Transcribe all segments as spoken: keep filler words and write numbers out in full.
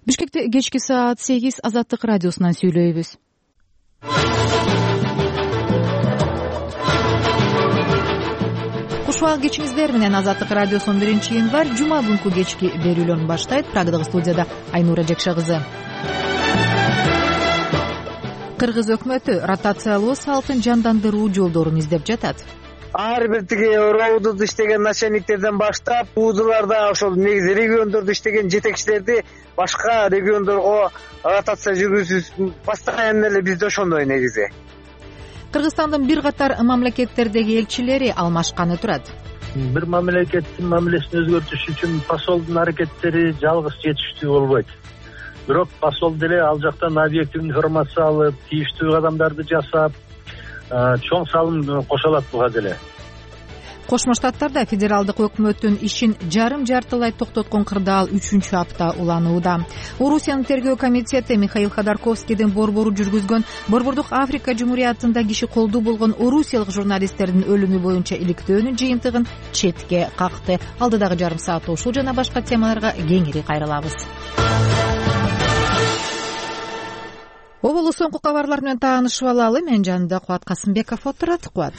Бишкекте кечки саат сегиз Азаттык радиосунан сүйлөйбүз. Кушубак кечиңиздер менен Азаттык радиосунун биринчи январь жума күнкү кечки берүүлөрүн баштайт. Прагадагы студияда Айнура Жекше кызы. Кыргыз өкмөтү ротациялуу салтын жандандыруу жолдорун издеп жатат. Ар бир тиги роудду иштеген начальниктерден баштап, уудуларда ошол негизи региондордо иштеген жетекчилерди башка региондорго ротация жүргүзүү постоянно эле бизде ошондой негизи. Кыргызстандын бир катар мамлекеттердеги элчилери алмашканы турат. Бир мамлекеттин мамилесин өзгөртүш үчүн посолдун аракеттери жалгыз жетиштүү болбойт. Бирок посол деле ал жактан объектив информация алып, тийиштүү кадамдарды жасап, чоң салым кошо алат буга деле. Кошмо Штаттарда федералдык өкмөттүн ишин жарым жартылай токтоткон кырдаал үчүнчү апта уланууда. Орусиянын тергөө комитети Михаил Ходорковскийдин борбору жүргүзгөн Борбордук Африка Жумуриятында киши колдуу болгон орусиялык журналисттердин өлүмү боюнча иликтөөнүн жыйынтыгын четке какты. Алдыдагы жарым саатта ушул жана башка темаларга кеңири кайрылабыз. Оболу соңку кабарлар менен таанышып алалы. Мен жанымда Кубат Касымбеков отурат. Кубат.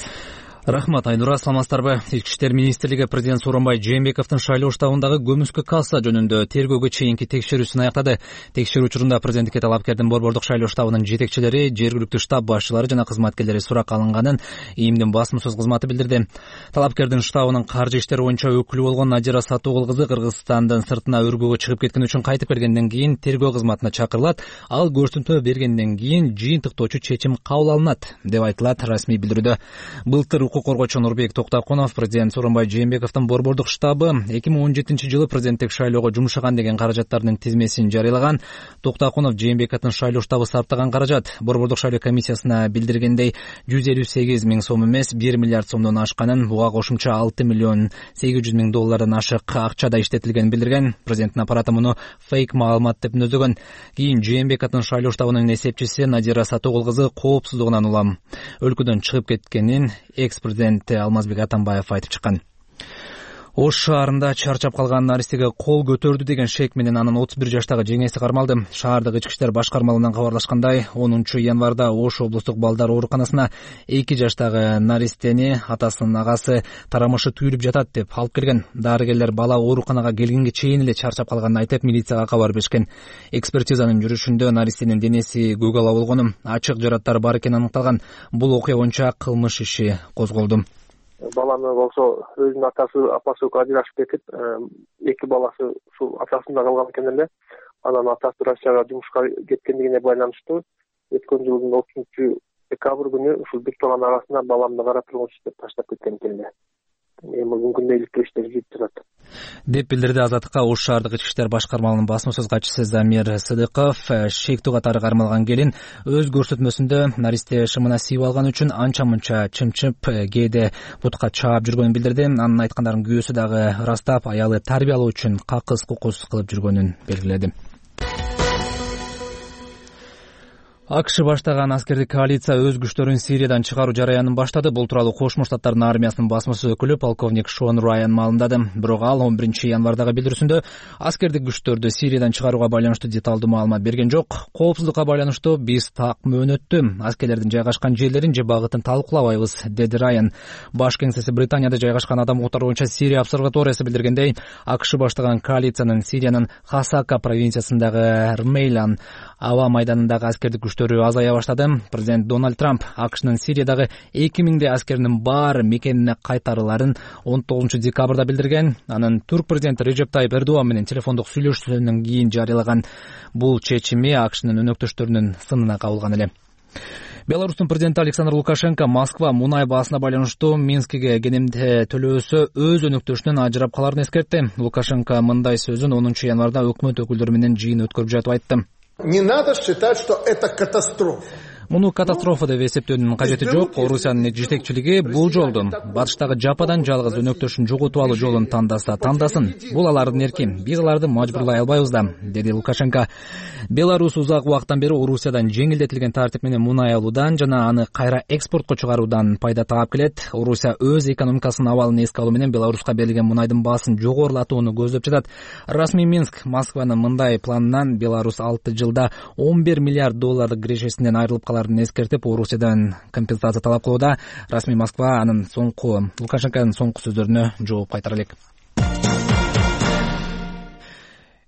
Рахмат, Айнура, саламатсыздарбы? Ички иштер министрлиги президент Сооронбай Жээнбековдун шайлоо штабындагы көмүскө касса жөнүндө тергөөгө чейинки текшерүүсүн аяктады. Текшерүү учурунда президенттикке талапкердин борбордук шайлоо штабынын жетекчилери, жергиликтүү штаб башчылары жана кызматкерлери суракка алынганын ИИМдин басмасөз кызматы билдирди. Талапкердин штабынын каржы иштери боюнча өкүлү болгон Надира Сатуугул кызы Кыргызстандын сыртына өргөөгө чыгып кеткен үчүн кайтып келгенден кийин тергөө кызматына чакырылат. Ал көрсөтмө бергенден кийин жыйынтыктоочу чечим кабыл алынат, деп айтылат расмий билдирүүдө. Былтыр укук коргоочу Нурбек Токтокунов президент Сооронбай Жээнбековдун борбордук штабы эки миң он жетинчи жылы президенттик шайлоого жумшаган деген каражаттардын тизмесин жарыялаган. Токтокунов Жээнбековдун шайлоо штабы сарптаган каражат борбордук шайлоо комиссиясына билдиргендей жүз элүү сегиз миң сом эмес бир миллиард сомдон ашканын, буга кошумча алты миллион сегиз жүз миң доллардан ашык акча да иштетилгенин билдирген. Президенттин аппараты муну фейк маалымат деп нөзөгөн. Кийин Жээнбековдун шайлоо штабынын эсепчиси Надира Сатуугул кызы коопсуздугунан улам өлкөдөн чыгып кеткенин экс-президент Алмазбек Атамбаев айтып чыккан. Ош шаарында чарчап калган наристеге кол көтөрдү деген шек менен анын отуз бир жаштагы жеңеси кармалды. Шаардык ички иштер башкармалыгынан кабарлашкандай, онунчу январда Ош облустук балдар ооруканасына эки жаштагы наристени атасынын агасы тарамышы түйүлүп жатат деп алып келген. Дарыгерлер бала ооруканага келгенге чейин эле чарчап калганын айтып, милицияга кабар беришкен. Экспертизанын жүрүшүндө наристенин денеси көгала болгону, ачык жараттар бар экени аныкталган. Бул окуя боюнча кылмыш иши козголду. Баланы болсо өзүнүн атасы апасы ажырашып кетип, эки баласы ушул атасында калган экен эле. Анан атасы Россияга жумушка кеткендигине байланыштуу өткөн жылдын отузунчу декабрь күнү ушул бир тууган арасында баламды кара тургуч деп таштап кеткен экен эле. Эми бүгүн иликтөө иштери жүрүп жатат, деп билдирди Азаттыкка Ош шаардык ички иштер башкармалыгынын басмасөз катчысы Замир Сыдыков. Шектүү катары кармалган келин өз көрсөтмөсүндө наристе шымына siiп алган үчүн анча-мынча чымчып, кээде бутка чаап жүргөнүн билдирди. Анын айткандарын күйөөсү дагы ырастап, аялы тарбиялоо үчүн какыс-кукус кылып жүргөнүн белгиледи. АКШ баштаган аскердик коалиция өз күчтөрүн Сириядан чыгаруу жараянын баштады. Бул тууралуу Кошмо Штаттардын армиясынын басмасөз өкүлү полковник Шон Райан маалымдады. Бирок ал он биринчи январдагы билдирүүсүндө аскердик күчтөрдү Сириядан чыгарууга байланыштуу деталдуу маалымат берген жок. Коопсуздукка байланыштуу биз так мөөнөттү аскерлердин жайгашкан жерлерин же багытын талкуулабайбыз, деди Райан. Баш кеңсеси Британияда жайгашкан адам укуктары боюнча Сирия обсерваториясы билдиргендей, АКШ баштаган коалициянын Сириянын Хасака провинциясындагы Рмейлан аба майданындагы аскердик күчтөрү азая баштады. Президент Дональд Трамп АКШнын Сириядагы эки миңдей аскеринин баары мекенине кайтарыларын он тогузунчу декабрда билдирген. Анын турк президенти Режеп Тайип Эрдоган менен телефондук сүйлөшүүсүнөн кийин жарыялаган бул чечими АКШнын өнөктөштөрүнүн сынына кабылган эле. Беларустун президенти Александр Лукашенко Москва мунай баасына байланыштуу Минскиге кенемде төлөөсө өз өнөктөшүнөн ажырап каларын эскертти. Лукашенко мындай сөзүн онунчу январда өкмөт өкүлдөрү менен жыйын өткөрүп жатып айтты. Не надо считать, что это катастрофа. Муну катастрофа деп эсептөөнүн кажети жок. Орусиянын жетекчилиги бул жолду батыштагы жападан жалгыз өнөктөшүн жоготуп алуу жолун тандаса тандасын. Бул алардын эрки. Биз аларды мажбурлай албайбыз да, деди Лукашенко. Беларусь узак убакыттан бери Орусиядан жеңилдетилген тартип менен мунай алуудан жана аны кайра экспортко чыгаруудан пайда таап келет. Орусия өз экономикасынын абалын эске алуу менен Беларуска берилген мунайдын баасын жогорулатууну көздөп жатат. Расмий Минск Москванын мындай планынан Беларусь алты жылда он бир миллиард доллардык кирешесинен айрылып каларын эскертип, Орусиядан компенсация талап кылууда. Расмий Москва анын соңку Лукашенконун соңку сөздөрүнө жооп кайтара элек.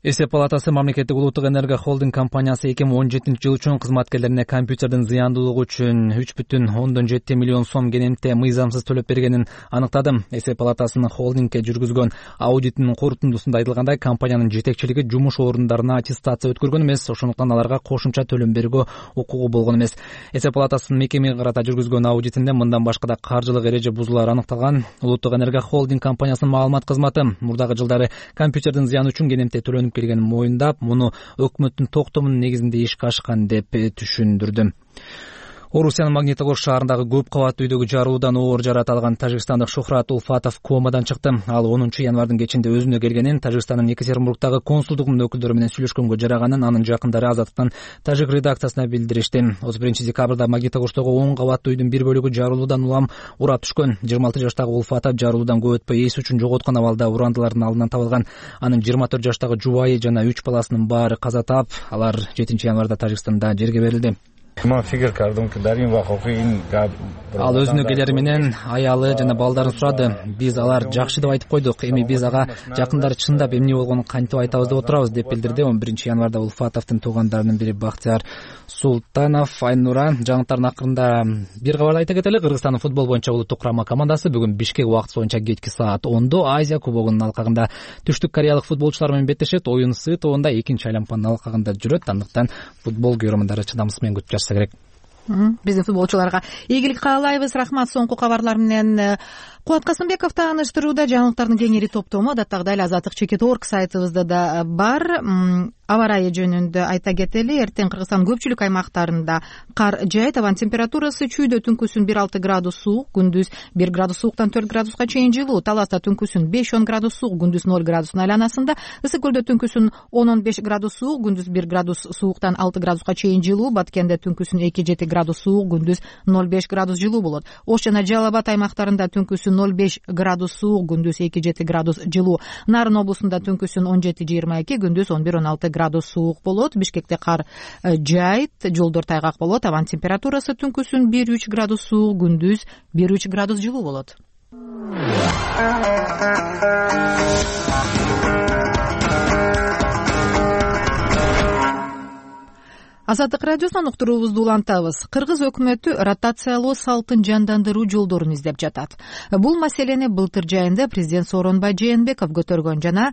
Эсеп палатасы мамлекеттик улуттук энергия холдинг компаниясы эки миң он жетинчи жыл үчүн кызматкерлерине компьютердин зыяндуулугу үчүн үч бүтүн ондон жети миллион сом кенемте мыйзамсыз төлөп бергенин аныктады. Эсеп палатасынын холдингке жүргүзгөн аудитинин корутундусунда айтылгандай, компаниянын жетекчилиги жумуш орундарына аттестация өткөргөн эмес, ошондуктан аларга кошумча төлөм берүүгө укугу болгон эмес. Эсеп палатасынын мекемеге карата жүргүзгөн аудитинде мындан башка да каржылык эреже бузуулар аныкталган. Улуттук энергия холдинг компаниясынын маалымат кызматы мурдагы жылдары компьютердин зыяны үчүн кенемте төлөнүп келгенин моюндап, муну өкмөттүн токтомунун негизинде ишке ашкан деп түшүндүрдү. Орусиянын Магнитогорск шаарындагы көп кабаттуу үйдөгү жарылуудан оор жарат алган тажикстандык Шухрат Улфатов комадан чыкты. Ал онунчу январдын кечинде өзүнө келгенин, Тажикстандын Екатеринбургдагы консулдугунун өкүлдөрү менен сүйлөшкөнгө жараганын анын жакындары Азаттыктын тажик редакциясына билдиришти. отуз биринчи декабрда Магнитогорскдогу он кабаттуу үйдүн бир бөлүгү жарылуудан улам урап түшкөн. жыйырма алты жаштагы Улфатов жарылуудан көп өтпөй эс үчүн жоготкон абалда урандылардын алдынан табылган. Анын жыйырма төрт жаштагы жубайы жана үч баласынын баары каза таап, алар жетинчи январда Тажикстанда жерге берилди. Ал өзүнө келери менен аялы жана балдарын сурады. Биз алар жакшы деп айтып койдук. Эми биз ага жакындары чындап эмне болгонун кантип айтабыз деп отурабыз, деп билдирди он биринчи январда Улфатовдун туугандарынын бири Бактияр Султанов. Айнура, жаңылыктардын акырында бир кабарды айта кетели. Кыргызстандын футбол боюнча улуттук курама командасы бүгүн Бишкек убактысы боюнча кечки саат ондо Азия кубогунун алкагында түштүк кореялык футболчулар менен беттешет. Оюн Сы тобунда экинчи айланманын алкагында жүрөт. Андыктан футбол көрөрмандары чыдамсыз менен күтүп жатса керек. Биздин футболчуларга ийгилик каалайбыз. Рахмат. Соңку кабарлар менен Кубат Касымбеков тааныштырууда. Жаңылыктардын кеңири топтому адаттагыдай эле азаттык чекит орг сайтыбызда да бар. Аба ырайы жөнүндө айта кетели. Эртең Кыргызстандын көпчүлүк аймактарында кар жаайт. Абанын температурасы чүйдө түнкүсүн бир алты градус суук, күндүз бир градус сууктан төрт градуска чейин жылуу. Таласта түнкүсүн беш он градус суук, күндүз ноль градустун айланасында. Ысык көлдө түнкүсүн он он беш градус суук, күндүз бир градус сууктан алты градуска чейин жылуу. Баткенде түнкүсүн эки жети градус суук, күндүз ноль беш градус жылуу болот. Ош жана Жалал Абад аймактарында түнкүсүн ноль беш градус суук, күндүз эки жети градус жылуу. Нарын облусунда түнкүсүн он жети жыйырма эки, күндүз он бир он алты градус суук болот. Бишкекте кар жаайт, жолдор тайгак болот. Абанын температурасы түнкүсүн бир үч градус суук, күндүз бир үч градус жылуу болот. Азаттык радиосунан уктуруубузду улантабыз. Кыргыз өкмөтү ротациялоо салтын жандандыруу жолдорун издеп жатат. Бул маселени былтыр жайында президент Сооронбай Жээнбеков көтөргөн жана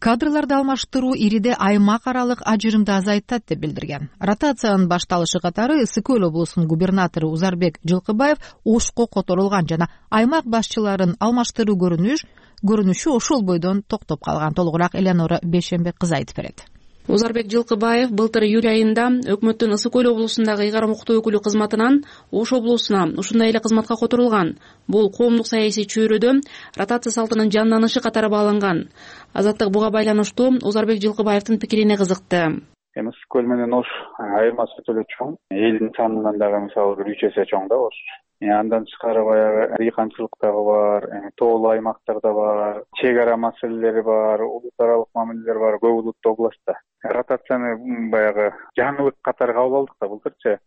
кадрларды алмаштыруу ириде аймак аралык ажырымды азайтат деп билдирген. Ротациянын башталышы катары Ысык Көл облусунун губернатору Узарбек Жылкыбаев Ошко которулган жана аймак башчыларын алмаштыруу көрүнүш көрүнүшү ошол бойдон токтоп калган. Толугураак Эленора Бейшенбек кызы айтып берет. Узарбек Жылкыбаев былтыр июль айында өкмөттүн Ысык Көл облусундагы ыйгарым укуктуу өкүлү кызматынан Ош облусуна ушундай эле кызматка которулган. Бул коомдук саясий чөйрөдө ротация салтынын жанданышы катары бааланган. Азаттык буга байланыштуу Узарбек Жылкыбаевдин пикирине кызыкты. Эми Ысык Көл менен Ош айырмасы өтө чоң. Элдин санынан дагы мисалы бир үч эсе чоң да Ош. Андан тышкары баягы дыйканчылык дагы бар, тоолуу аймактарда бар, чек ара маселелери бар, улут аралык мамилелер бар көп улуттуу областта. Ротацияны баягы жаңылык катары кабыл алдык да былтырчы.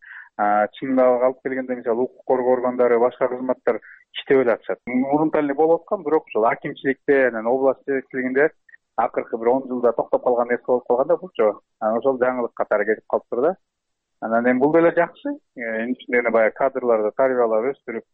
Чындап алып келгенде мисалы укук коргоо органдары, башка кызматтар иштеп эле атышат. Мурунтан эле болуп аткан, бирок ошол акимчиликте, анан област жетекчилигинде акыркы бир он жылда токтоп калган нерсе болуп калганда булчу. Анан ошол жаңылык катары кетип калыптыр да. Анан эми бул деле жакшы. Эми ичинде баягы кадрларды тарбиялап өстүрүп,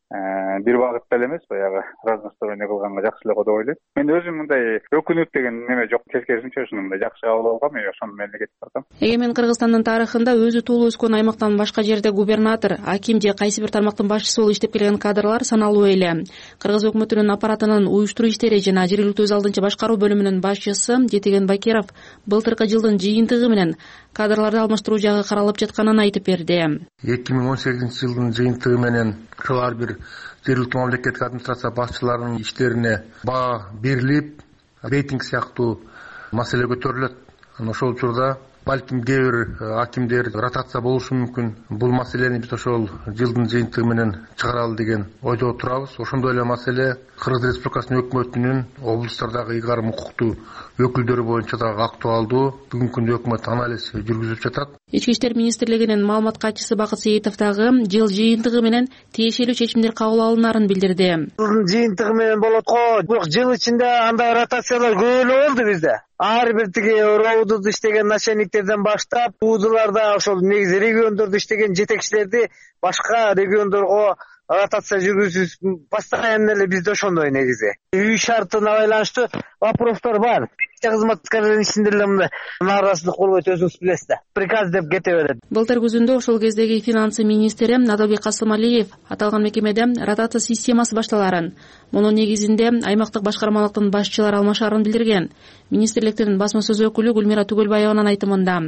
бир багытта эле эмес, баягы разносторонний кылганга жакшы эле го деп ойлойм. Мен өзүм мындай өкүнүп деген неме жок, тескерисинче ушундай жакшы кабыл алгам, и ошону менен кетип баратам. Эгемен Кыргызстандын тарыхында өзү туулуп өскөн аймактан башка жерде губернатор, аким же кайсы бир тармактын башчысы болуп иштеп келген кадрлар саналуу эле. Кыргыз өкмөтүнүн аппаратынын уюштуруу иштери жана жергиликтүү өз алдынча башкаруу бөлүмүнүн башчысы Жетеген Бакиров былтыркы жылдын жыйынтыгы менен кадрларды алмаштыруу жагы каралып жатканын айтып берди. эки миң он сегизинчи жылдын жыйынтыгы менен ар бир жергиликтүү мамлекеттик администрация башчыларынын иштерине баа берилип, рейтинг сыяктуу маселе көтөрүлөт. Ошол учурда балким кээ бир акимдер ротация болушу мүмкүн. Бул маселени биз ошол жылдын жыйынтыгы менен чыгаралы деген ойдо турабыз. Ошондой эле маселе Кыргыз Республикасынын өкмөтүнүн облустардагы ыйгарым укуктуу өкүлдөрү боюнча дагы актуалдуу. Бүгүнкү күндө өкмөт анализ жүргүзүп жатат. Ички иштер министрлигинин маалымат катчысы Бакыт Сейитов дагы жыл жыйынтыгы менен тиешелүү чечимдер кабыл алынарын билдирди. Жылдын жыйынтыгы менен болот го. Бирок жыл ичинде андай ротациялар көп эле болду бизде. Ар бир тиги роудуда иштеген начальниктерден баштап, уудуларда ошол негизи региондордо иштеген жетекчилерди башка региондорго ротация жүргүзүп постоянно эле бизде ошондой негизи. Үй шартына байланыштуу вопростор бар. Кызматкерлердин ичинде эле мындай нааразычылык болбойт, өзүңүз билесиз да. Приказ деп кете берет. Былтыр күзүндө ошол кездеги финансы министри Адалбек Касымалиев аталган мекемеде ротация системасы башталарын, мунун негизинде аймактык башкармалыктын башчылары алмашарын билдирген. Министрликтин басма сөз өкүлү Гүлмира Түгөлбаеванын айтымында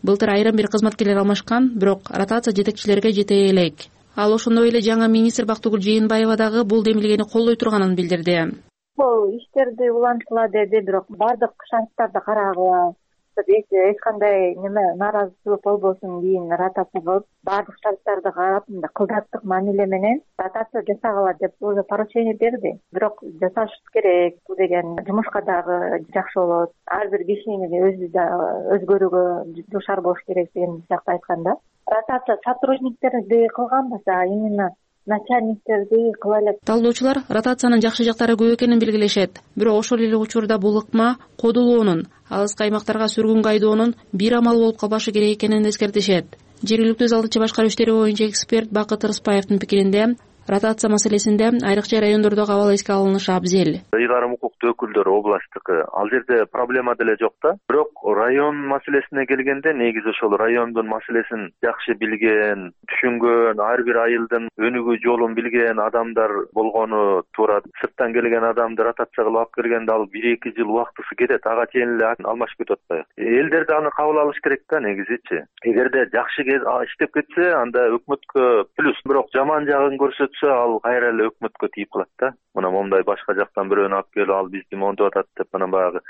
былтыр айрым бир кызматкерлер алмашкан, бирок ротация жетекчилерге жете элек. Ал ошондой эле жаңы министр Бактыгүл Жээнбаева дагы бул демилгени колдой турганын билдирди. Бул иштерди улантыла деди, бирок бардык шарттарды карагыла, эч кандай неме нааразычылык болбосун кийин ротация кылып, бардык шарттарды карап, кылдаттык мамиле менен ротация жасагыла деп уже поручение берди. Бирок жасаш керек деген, жумушка дагы жакшы болот. Ар бир кишинин өзү да өзгөрүүгө душар болуш керек деген сыяктуу айтканда. Ротация сотрудниктерди кылганбаса, именно начальниктерди кыла элек. Талдоочулар ротациянын жакшы жактары көп экенин белгилешет. Бирок ошол эле учурда бул ыкма кодулоонун, алыскы аймактарга сүргүнгө айдоонун бир амал болуп калбашы керек экенин эскертишет. Жергиликтүү өз алдынча башкаруу иштери боюнча эксперт Бакыт Рыспаевдин пикиринде ротация маселесинде айрыкча райондордогу абал эске алынышы абзел. Ыйгарым укуктуу өкүлдөр областтыкы ал жерде проблема деле жок да. Бирок район маселесине келгенде негизи ошол райондун маселесин жакшы билген, түшүнгөн, ар бир айылдын өнүгүү жолун билген адамдар болгону туура. Сырттан келген адамды ротация кылып алып келгенде ал бир эки жыл убактысы кетет, ага чейин эле алмашып кетип атпайбы. Элдер да аны кабыл алыш керек да негизичи. Эгерде жакшы иштеп кетсе, анда өкмөткө плюс. Бирок жаман жагын көрсөт ал кайра эле өкмөткө тийип калат да. Мына момундай башка жактан бирөөнү алып келип, ал бизди монтоп атат деп, мына баягы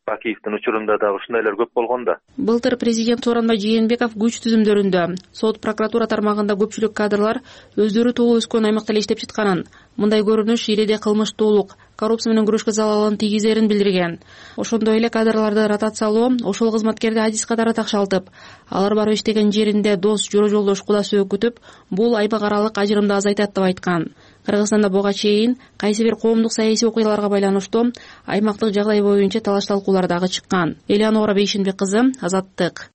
Бакиевдин учурунда дагы ушундайлар көп болгон да. Былтыр президент Сооронбай Жээнбеков күч түзүмдөрүндө сот, прокуратура тармагында көпчүлүк кадрлар өздөрү туулуп өскөн аймакта эле иштеп жатканын, мындай көрүнүш иреде кылмыштуулук, коррупция менен күрөшкө залалын тийгизерин билдирген. Ошондой эле кадрларды ротациялоо ошол кызматкерди адис катары такшалтып, алар барып иштеген жеринде дос, жора жолдош, кудас өкүтүп, бул аймак аралык ажырымды азайтат деп айткан. Кыргызстанда буга чейин кайсы бир коомдук саясий окуяларга байланыштуу аймактык жагдай боюнча талаш талкуулар дагы чыккан. Элеонора Бейшенбек кызы, Азаттык.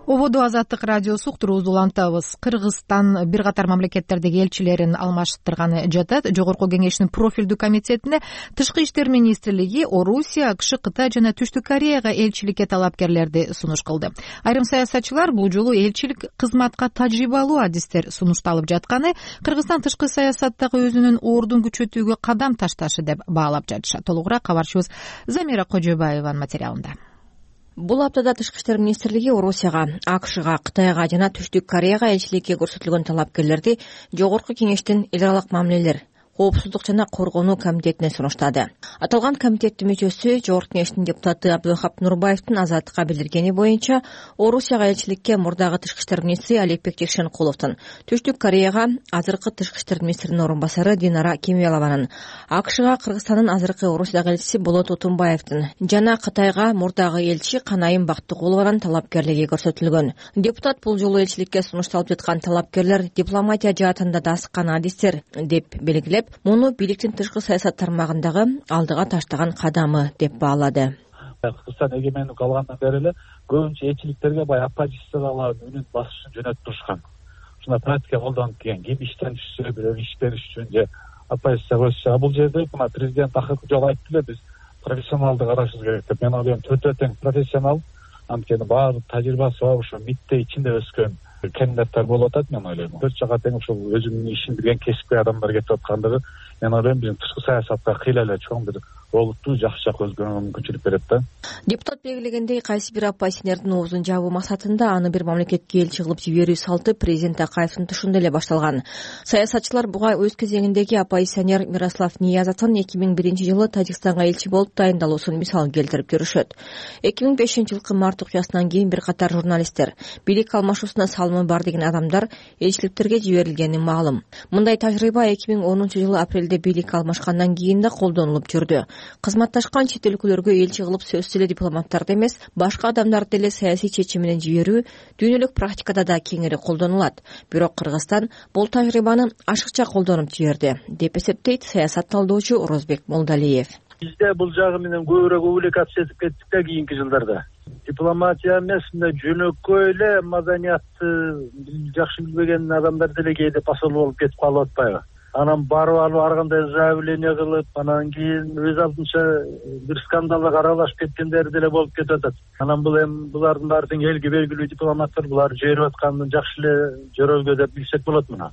Ободо Азаттык радиосу уктуруубузду улантабыз. Кыргызстан бир катар мамлекеттердеги элчилерин алмаштырганы жатат. Жогорку кеңештин профилдүү комитетине Тышкы иштер министрлиги Орусия, АКШ, Кытай жана Түштүк Кореяга элчиликке талапкерлерди сунуш кылды. Айрым саясатчылар бул жолу элчилик кызматка тажрыйбалуу адистер сунушталып жатканы Кыргызстан тышкы саясаттагы өзүнүн ордун күчөтүүгө кадам ташташы деп баалап жатышат. Толугураак кабарчыбыз Замира Кожобаеванын материалында. Бул аптада Тышкы иштер министрлиги Орусияга, АКШга, Кытайга жана Түштүк Кореяга элчиликке көрсөтүлгөн талапкерлерди Жогорку кеңештин эл аралык мамилелер, коопсуздук жана коргонуу комитетине сунуштады. Аталган комитеттин мүчөсү Жогорку кеңештин депутаты Абдылхап Нурбаевдин Азаттыкка билдиргени боюнча, Орусияга элчиликке мурдагы тышкы иштер министри Аликбек Жекшенкуловдун, Түштүк Кореяга азыркы тышкы иштер министринин орун басары Динара Кемиялованын, АКШга Кыргызстандын азыркы Орусиядагы элчиси Болот Утунбаевдин жана Кытайга мурдагы элчи Канайым Бактыгулованын талапкерлиги көрсөтүлгөн. Депутат бул жолу элчиликке сунушталып жаткан талапкерлер дипломатия жаатында да аскан адистер деп белгилеп, муну бийликтин тышкы саясат тармагындагы алдыга таштаган кадамы деп баалады. Кыргызстан эгемендик алгандан бери эле көбүнчө элчиликтерге баягы оппозициялардын үнүн басышын жөнөтүп турушкан. Ушундай практика колдонуп келген. Ким иштен түшсө, бирөө иштениш үчүн же оппозицияга өтсө, бул жерде мына президент акыркы жолу айтты эле, биз профессионалды карашыбыз керек деп. Мен ойлойм, төртөө тең профессионал, анткени баардык тажрыйбасы бар, ошо митте ичинде өскөн кандидаттар болуп атат. Мен ойлойм, төрт жака тең ушул өзүнүн ишин билген кесипкөй адамдар кетип аткандыгы, мен ойлойм, биздин тышкы саясатка кыйла эле чоң бир олуттуу жакшы жакка өзгөрүүгө мүмкүнчүлүк берет да. Депутат белгилегендей, кайсы бир оппозиционердин оозун жабуу максатында аны бир мамлекетке элчи кылып жиберүү салты президент Акаевдин тушунда эле башталган. Саясатчылар буга өз кезегиндеги оппозиционер Мирослав Ниязовдун эки миң биринчи жылы Тажикстанга элчи болуп дайындалуусун мисал келтирип көрүшөт. эки миң бешинчи жылкы март окуясынан кийин бир катар журналисттер, бийлик алмашуусуна салымы бар деген адамдар элчиликтерге жиберилгени маалым. Мындай тажрыйба эки миң онунчу жылы апрелде бийлик алмашкандан кийин да колдонулуп жүрдү. Кызматташкан чет өлкөлөргө элчи кылып сөзсүз эле дипломаттарды эмес, башка адамдарды деле саясий чечим менен жиберүү дүйнөлүк практикада да кеңири колдонулат. Бирок Кыргызстан бул тажрыйбаны ашыкча колдонуп жиберди, деп эсептейт саясат талдоочу Орозбек Молдалиев. Бизде бул жагы менен көбүрөөк увлекаться этип кеттик да кийинки жылдарда. Дипломатия эмес, мындай жөнөкөй эле маданиятты жакшы билбеген адамдар деле кээде посол болуп кетип калып атпайбы? Анан барып алып ар кандай заявление кылып, анан кийин өз алдынча бир скандалга аралашып кеткендер деле болуп кетип атат. Анан бул эми булардын баары тең элге белгилүү дипломаттар, булар жиберип атканын жакшы эле жөрөлгө деп билсек болот муну.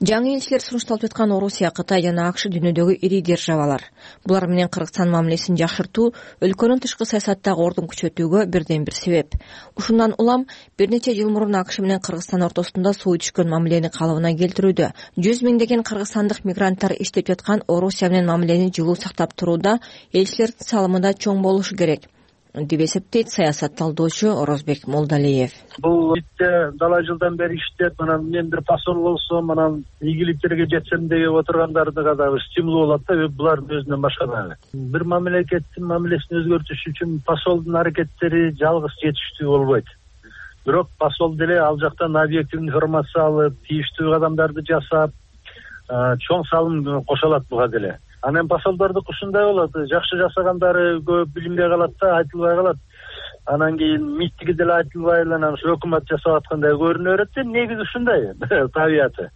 Жаңы элчилер сунушталып жаткан Орусия, Кытай жана АКШ дүйнөдөгү ири державалар. Булар менен Кыргызстан мамилесин жакшыртуу өлкөнүн тышкы саясаттагы ордун күчөтүүгө бирден бир себеп. Ушундан улам бир нече жыл мурун АКШ менен Кыргызстан ортосунда суу түшкөн мамилени калыбына келтирүүдө. Жүз миңдеген кыргызстандык мигранттар иштеп жаткан Орусия менен мамилени жылуу сактап турууда элчилердин салымы да чоң болушу керек, деп эсептейт саясат талдоочу Орозбек Молдалиев. Бул итте далай жылдан бери иштеп, анан мен бир посол болсом, анан ийгиликтерге жетсем деп отургандардыга да бир стимул болот да, булардын өзүнөн башка да. Бир мамлекеттин мамилесин өзгөртүш үчүн посолдун аракеттери жалгыз жетиштүү болбойт. Бирок посол деле ал жактан объективдүү информация алып, тийиштүү кадамдарды жасап, чоң салым кошолот буга деле. Анан посолдордук ушундай болот, жакшы жасагандары көп билинбей калат да, айтылбай калат. Анан кийин миттиги деле айтылбай эле анан ушу өкмөт жасап аткандай көрүнө берет да, негизи ушундай табияты.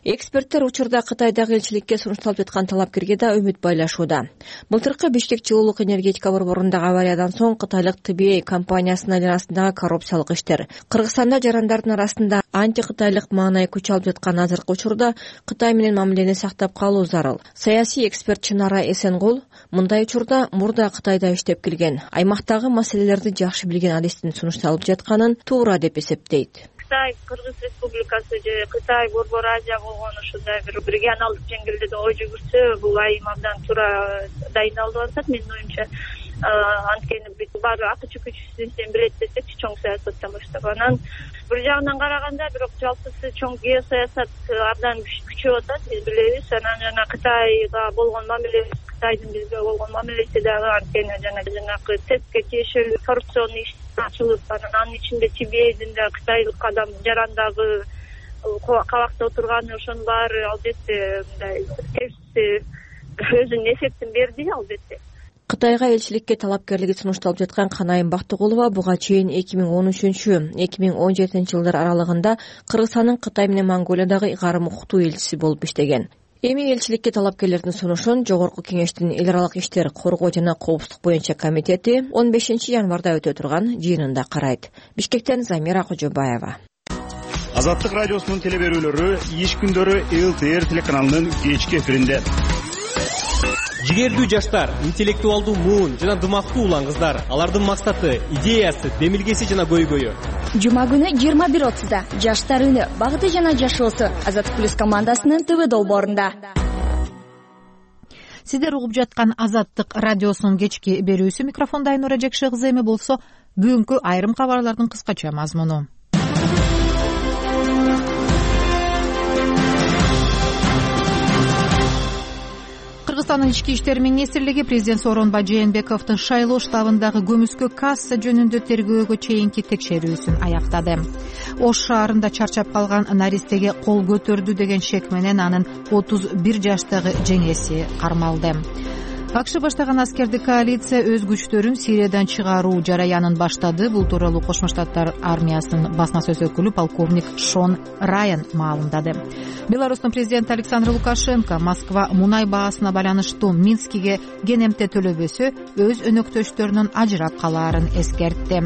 Эксперттер учурда Кытайдагы элчиликке сунушталып жаткан талапкерге да үмүт байлашууда. Былтыркы Бишкек жылуулук энергетика борборундагы авариядан соң Кытайлык Т Б А компаниясынын арасындагы коррупциялык иштер, Кыргызстанда жарандардын арасында анти-кытайлык маанай күч алып жаткан азыркы учурда Кытай менен мамилени сактап калуу зарыл. Саясий эксперт Чынара Эсенгул мындай учурда мурда Кытайда иштеп келген, аймактагы маселелерди жакшы билген адистин сунушталып жатканын туура деп эсептейт. Кытай, Кыргыз Республикасы же Кытай, Борбор Азия болгон ушундай бир регионалдык жеңилдикте ой жүгүрсө, бул айым абдан туура дайындалып атат менин оюмча. Анткени бүт баары акча күчүсүн билет десекчи, чоң саясаттан баштап. Анан бир жагынан караганда, бирок жалпысы чоң геосаясат абдан күчөп атат, биз билебиз. Анан жана Кытайга болгон мамиле, Кытайдын бизге болгон мамилеси дагы анткени жана жанагы ТЭСке тиешелүү коррупционный иш ачылып, анан анын ичинде Т Б А'дын да кытайлык адам жарандагы кабакта отурганы, ошонун баары албетте мындай терс өзүнүн эффектин берди албетте. Кытайга элчиликке талапкерлиги сунушталып жаткан Канайым Бактыгулова буга чейин эки миң он үчүнчү — эки миң он жетинчи жылдар аралыгында Кыргызстандын Кытай менен Монголиядагы ыйгарым укуктуу элчиси болуп иштеген. Эми элчиликке талапкерлердин сунушун Жогорку Кеңештин эл аралык иштер, коргоо жана коопсуздук боюнча комитети он бешинчи январда өтө турган жыйынында карайт. Бишкектен Замира Кожобаева. Азаттык радиосунун телеберүүлөрү иш күндөрү Л Т Р телеканалынын кечки эфиринде. Жигердүү жаштар, интеллектуалдуу муун жана дымактуу улан кыздар, алардын максаты, идеясы, демилгеси жана көйгөйү. Жума күнү жыйырма бир отузда Жаштар үнү, багыты жана жашоосу Азаттык плюс командасынын ТВ долбоорунда. Сиздер угуп жаткан Азаттык радиосунун кечки берүүсү. Микрофонда Айнура Жекше кызы. Эми болсо бүгүнкү айрым кабарлардын кыскача мазмуну. Кыргызстандын ички иштер министрлиги президент Сооронбай Жээнбековдун шайлоо штабындагы көмүскө касса жөнүндө тергөөгө чейинки текшерүүсүн аяктады. Ош шаарында чарчап калган наристеге кол көтөрдү деген шек менен анын отуз бир жаштагы жеңеси кармалды. акш баштаган аскердик коалиция өз күчтөрүн Сириядан чыгаруу жараянын баштады. Бул тууралуу Кошмо Штаттар армиясынын басма сөз өкүлү полковник Шон Райан маалымдады. Беларустун президенти Александр Лукашенко Москва мунай баасына байланыштуу Минскиге кенемте төлөбөсө өз өнөктөштөрүнүн ажырап калаарын эскертти.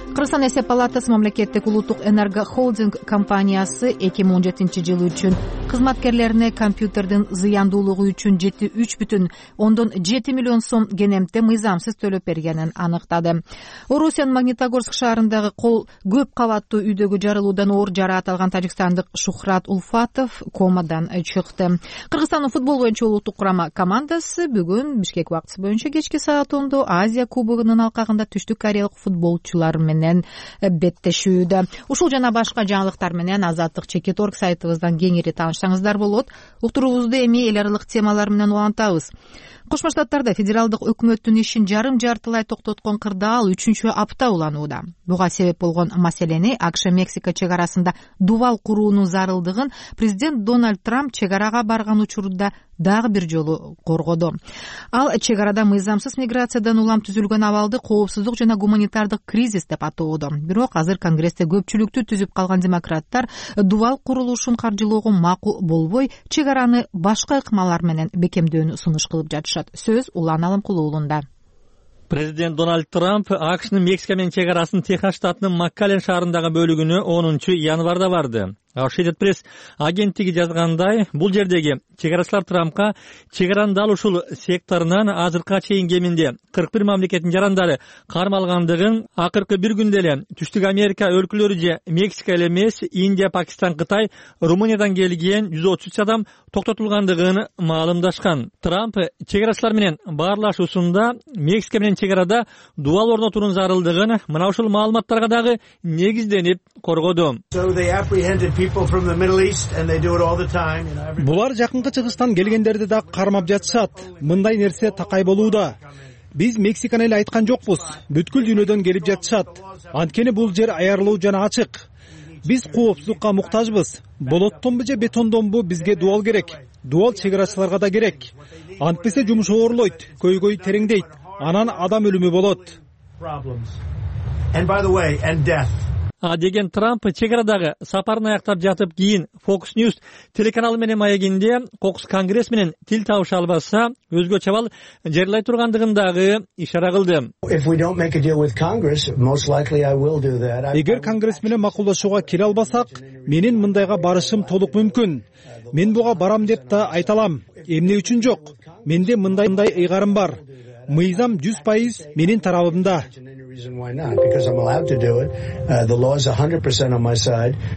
Кыргызстан эсеп палатасы мамлекеттик улуттук энерго холдинг компаниясы эки миң он жетинчи жыл үчүн кызматкерлерине компьютердин зыяндуулугу үчүн жети үч бүтүн ондон жети миллион сом кенемте мыйзамсыз төлөп бергенин аныктады. Орусиянын Магнитогорск шаарындагы кол көп кабаттуу үйдөгү жарылуудан оор жараат алган тажикстандык Шухрат Улфатов комадан чыкты. Кыргызстандын футбол боюнча улуттук курама командасы бүгүн Бишкек убактысы боюнча кечки саат ондо Азия кубогунун алкагында Түштүк Кореялык футболчулар менен беттешүүдө. Ушул жана башка жаңылыктар менен Азаттык чекит орг сайтыбыздан кеңири таанышсаңыздар болот. Уктуруубузду эми эл аралык темалар менен улантабыз. Кошмо Штаттарда федералдык өкмөттүн ишин жарым жартылай токтоткон кырдаал үчүнчү апта уланууда. Буга себеп болгон маселени акш Мексика чек арасында дубал куруунун зарылдыгын президент Дональд Трамп чек арага барган учурда дагы бир жолу коргоду. Ал чек арада мыйзамсыз миграциядан улам түзүлгөн абалды коопсуздук жана гуманитардык кризис деп атоодо. Бирок азыр Конгрессте көпчүлүктү түзүп калган демократтар дубал курулушун каржылоого макул болбой, чек араны башка ыкмалар менен бекемдөөнү сунуш кылып жатышат. Сөз Улан Алымкулуулунда. Президент Дональд Трамп акшнын Мексика менен чек арасын Техас штатынын Маккален шаарындагы бөлүгүнө онунчу январда барды. Associated Press агенттиги жазгандай, бул жердеги чек арачылар Трампка чек аранын дал ушул секторунан азыркыга чейин кеминде кырк бир мамлекеттин жарандары кармалгандыгын, акыркы бир күндө эле Түштүк Америка өлкөлөрү же Мексика эле эмес, Индия, Пакистан, Кытай, Румыниядан келген жүз отуз үч адам токтотулгандыгын маалымдашкан. Трамп чек арачылар менен баарлашуусунда Мексика менен чек арада дубал орнотуунун зарылдыгын мына ушул маалыматтарга дагы негизденип коргоду. Булар жакынкы чыгыштан келгендерди да кармап жатышат. Мындай нерсе такай болууда. Биз Мексиканы эле айткан жокпуз. Бүткүл дүйнөдөн келип жатышат. Анткени бул жер аярлуу жана ачык. Биз коопсуздукка муктажбыз. Болоттонбу же бетондонбу бизге дубал керек. Дубал чек арачыларга да керек. Антпесе жумуш оорлойт, көйгөй тереңдейт. Анан адам өлүмү болот. А деген Трамп чек арадагы сапарын аяктап жатып кийин Fox News телеканалы менен маегинде кокус Конгресс менен тил табыша албаса, өзгө чабал жарыйлай тургандыгын дагы ишара кылды. Эгер Конгресс менен макулдашууга келе албасак, менин мындайга барышым толук мүмкүн. Мен буга барам деп да айта алам. Эмне үчүн жок? Менде мындай мындай ыйгарым бар. Мыйзам жүз пайыз менин тарабымда.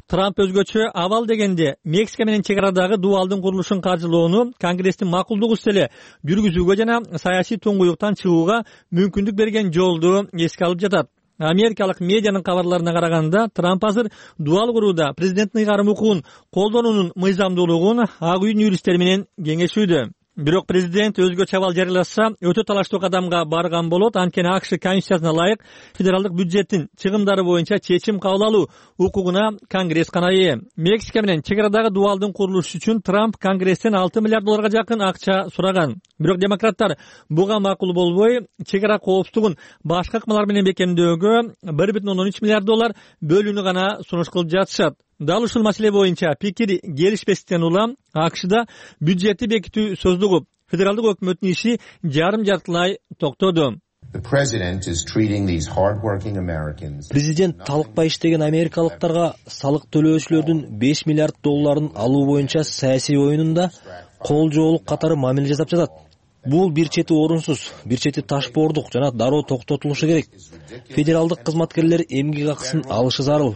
Трамп өзгөчө абал дегенде Мексика менен чек арадагы дубалдын курулушун каржылоону Конгресстин макулдугу үстеле жүргүзүүгө жана саясий туңгуюктан чыгууга мүмкүндүк берген жолду эске алып жатат. Америкалык медианын кабарларына караганда, Трамп азыр дубал курууда президенттин ыйгарым укугун колдонуунун мыйзамдуулугун Ак үйдүн юристтери менен кеңешүүдө. Бирок президент өзгө чабал жарыйласа, өтө талаштуу кадамга барган болот. Анткени акш Конституциясына ылайык федералдык бюджеттин чыгымдары боюнча чечим кабыл алуу укугуна Конгресс гана ээ. Мексика менен чек арадагы дубалдын курулушу үчүн Трамп Конгресстен алты миллиард долларга жакын акча сураган. Бирок демократтар буга макул болбой, чек ара коопсуздугун башка ыкмалар менен бекемдөөгө бир бүтүн ондон үч миллиард доллар бөлүүнү гана сунуш кылып жатышат. Дал ушул маселе боюнча пикир келишпестиктен улам акшда бюджетти бекитүү сөздүгү федералдык өкмөттүн иши жарым жартылай токтоду. Президент талыкпай иштеген америкалыктарга салык төлөөчүлөрдүн беш миллиард долларын алуу боюнча саясий оюнунда кол жоолук катары мамиле жасап жатат. Бул бир чети орунсуз, бир чети ташбоордук жана дароо токтотулушу керек. Федералдык кызматкерлер эмгек акысын алышы зарыл.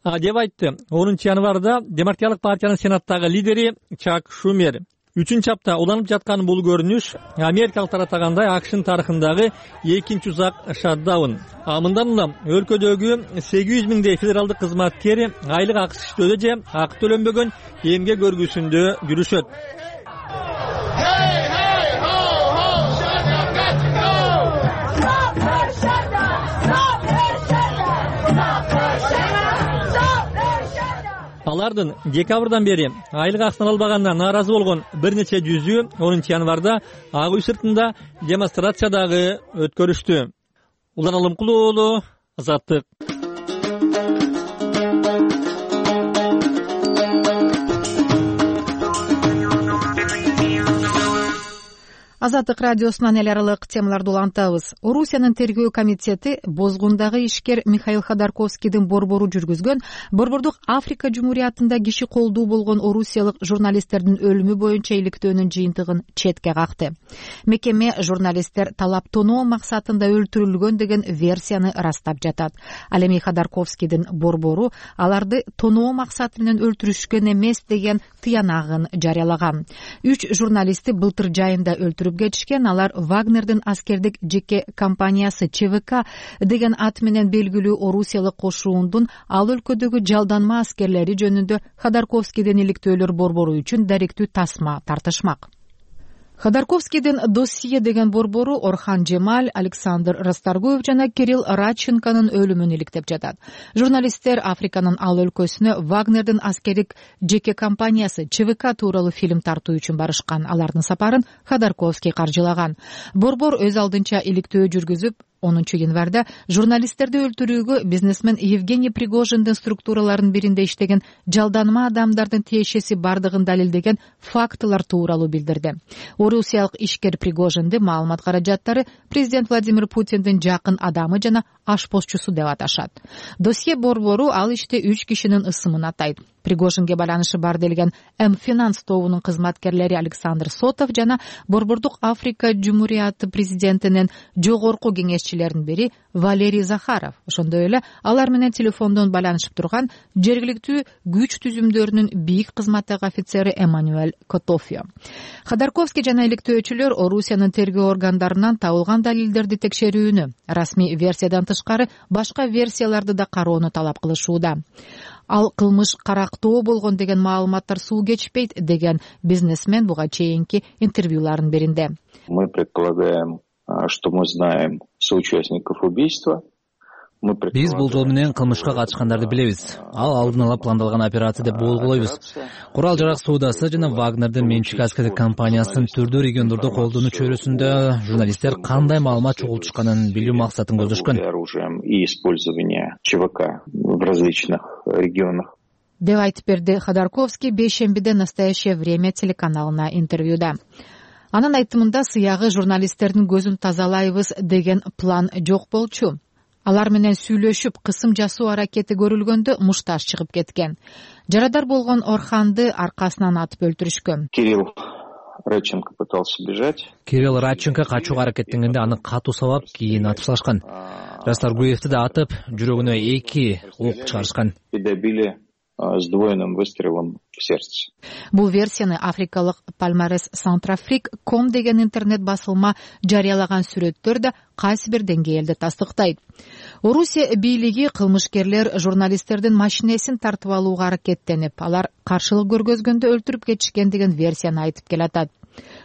А деп айтты онунчу январда Демократиялык партиянын сенаттагы лидери Чак Шумер. Үчүнчү апта уланып жаткан бул көрүнүш америкалыктар атагандай акшнын тарыхындагы экинчи узак шатдаун. А мындан улам өлкөдөгү сегиз жүз миңдей федералдык кызматкер айлык акысыз иштөөдө же акы төлөнбөгөн эмгек көргүсүндө жүрүшөт. алардын декабрдан бери айлык акысын албаганына нааразы болгон бир нече жүзү онунчу январда Ак үй сыртында демонстрация дагы өткөрүштү. Улан Алымкулуу уулу, Азаттык. Азаттык радиосунан эл аралык темаларды улантабыз. Орусиянын тергөө комитети бозгундагы ишкер Михаил Ходорковскийдин борбору жүргүзгөн Борбордук Африка Жумуриятында киши колдуу болгон орусиялык журналисттердин өлүмү боюнча иликтөөнүн жыйынтыгын четке какты. Мекеме журналисттер талап тоноо максатында өлтүрүлгөн деген версияны ырастап жатат. Ал эми Ходорковскийдин борбору аларды тоноо максаты менен өлтүрүшкөн эмес деген тыянагын жарыялаган. Үч журналистти былтыр жайында өлтүрүп кетишкен. Алар Вагнердин аскердик жеке компаниясы ЧВК деген ат менен белгилүү орусиялык кошуундун ал өлкөдөгү жалданма аскерлери жөнүндө Ходорковскийдин иликтөөлөр борбору үчүн даректүү тасма тартышмак. Ходорковскийдин Досье деген борбору Орхан Жемаль, Александр Расторгуев жана Кирилл Радченконун өлүмүн иликтеп жатат. Журналисттер Африканын ал өлкөсүнө Вагнердин аскердик жеке компаниясы ЧВК тууралуу фильм тартуу үчүн барышкан. Алардын сапарын Ходорковский каржылаган. Борбор өз алдынча иликтөө жүргүзүп, онунчу январда журналисттерди өлтүрүүгө бизнесмен Евгений Пригожиндин структураларынын биринде иштеген жалданма адамдардын тиешеси бардыгын далилдеген фактылар тууралуу билдирди. Орусиялык ишкер Пригожинди маалымат каражаттары президент Владимир Путиндин жакын адамы жана ашпозчусу деп аташат. Досье борбору ал иште үч кишинин ысымын атайт. Пригожинге байланышы бар делген М-Финанс тобунун кызматкерлери Александр Сотов жана Борбордук Африка Жумурияты президентинин жогорку кеңешчилеринин бири Валерий Захаров. Ошондой эле алар менен телефондон байланышып турган жергиликтүү күч түзүмдөрүнүн бийик кызматтагы офицери Эммануэль Котофио. Ходорковский жана иликтөөчүлөр Орусиянын тергөө органдарынан табылган далилдерди текшерүүнү, расмий версиядан тышкары башка версияларды да кароону талап кылышууда. Ал кылмыш карактоо болгон деген маалыматтар суу кечпейт деген бизнесмен буга чейинки интервьюларын беринде. Мы предполагаем, что мы знаем соучастников убийства. Биз бул жол менен кылмышка катышкандарды билебиз. Ал алдын ала пландалган операция деп болгулойбуз. Курал жарак соодасы жана Вагнердин менчик аскердик компаниясынын түрдүү региондордо колдонуу чөйрөсүндө журналисттер кандай маалымат чогултушканын билүү максатын көздөшкөн. И использование ЧВК в различных регионах. Деп айтып берди Ходорковский бейшембиде «Настоящее время» телеканалына интервьюда. Анын айтымында сыягы журналисттердин көзүн тазалайбыз деген план жок болчу. Алар менен сүйлөшүп, кысым жасоо аракети көрүлгөндө мушташ чыгып кеткен. Жарадар болгон Орханды аркасынан атып өлтүрүшкөн. Кирилл Радченко пытался бежать. Кирилл Радченко качууга аракеттенгенде аны катуу сабап, кийин атып салышкан. Расторгуевди да атып, жүрөгүнө эки ок чыгарышкан. И добили с двойным выстрелом в сердце. Бул версияны африкалык Palmares Centrafrique точка ком деген интернет басылма жарыялаган сүрөттөр да кайсы бир деңгээлде тастыктайт. Орусия бийлиги кылмышкерлер журналисттердин машинесин тартып алууга аракеттенип, алар каршылык көргөзгөндө өлтүрүп кетишкен деген версияны айтып келатат.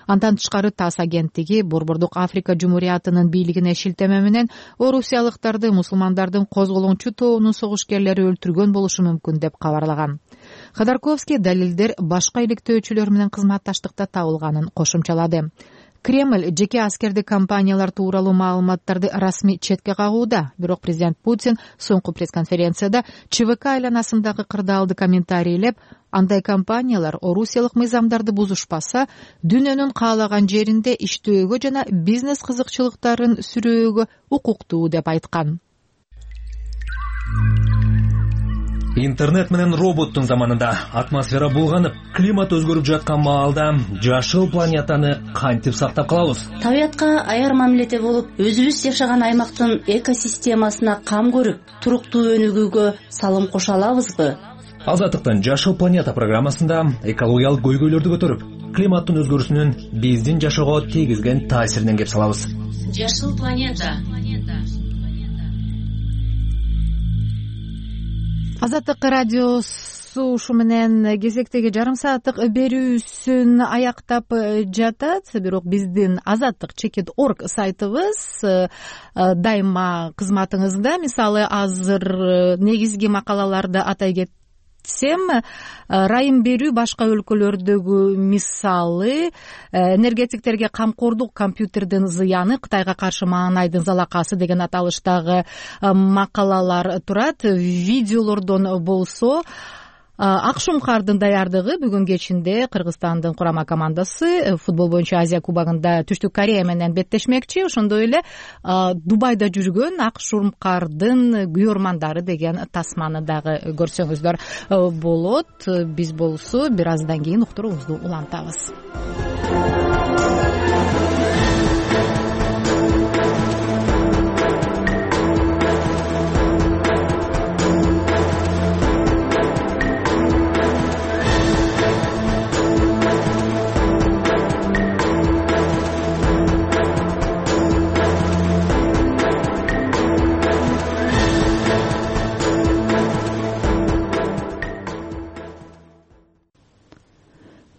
Андан тышкары ТАСС агенттиги Борбордук Африка Жумуриятынын бийлигине шилтеме менен орусиялыктарды мусулмандардын козголоңчу тобунун согушкерлери өлтүргөн болушу мүмкүн деп кабарлаган. Ходорковский далилдер башка иликтөөчүлөр менен кызматташтыкта табылганын кошумчалады. Кремль жеке аскердик компаниялар тууралуу маалыматтарды расмий четке кагууда. Бирок президент Путин соңку пресс-конференцияда ЧВК айланасындагы кырдаалды комментарийлеп, андай компаниялар орусиялык мыйзамдарды бузушпаса, дүйнөнүн каалаган жеринде иштөөгө жана бизнес кызыкчылыктарын сүрөөгө укуктуу деп айткан. Интернет менен роботтун заманында атмосфера булганып, климат өзгөрүп жаткан маалда жашыл планетаны кантип сактап калабыз? Табиятка аяр мамиледе болуп, өзүбүз жашаган аймактын экосистемасына кам көрүп, туруктуу өнүгүүгө салым кошо алабызбы? Азаттыктын Жашыл планета программасында экологиялык көйгөйлөрдү көтөрүп, климаттын өзгөрүүсүнүн биздин жашоого тийгизген таасиринен кеп салабыз. Жашыл планета. Азаттык радиосу ушу менен кезектеги жарым сааттык берүүсүн аяктап жатат. Бирок биздин азаттык чекит точка орг сайтыбыз дайыма кызматыңызда. Мисалы, азыр негизги макалаларды атай кетсем, райым берүү башка өлкөлөрдөгү мисалы энергетиктерге камкордук компьютердин зыяны, Кытайга каршы маанайдын залакасы деген аталыштагы макалалар турат. Видеолордон болсо ак шумкардын даярдыгы бүгүн кечинде Кыргызстандын курама командасы футбол боюнча Азия кубогунда Түштүк Корея менен беттешмекчи. Ошондой эле Дубайда жүргөн ак шумкардын күйөрмандары деген тасманы дагы көрсөңүздөр болот. Биз болсо бир аздан кийин уктуруубузду улантабыз.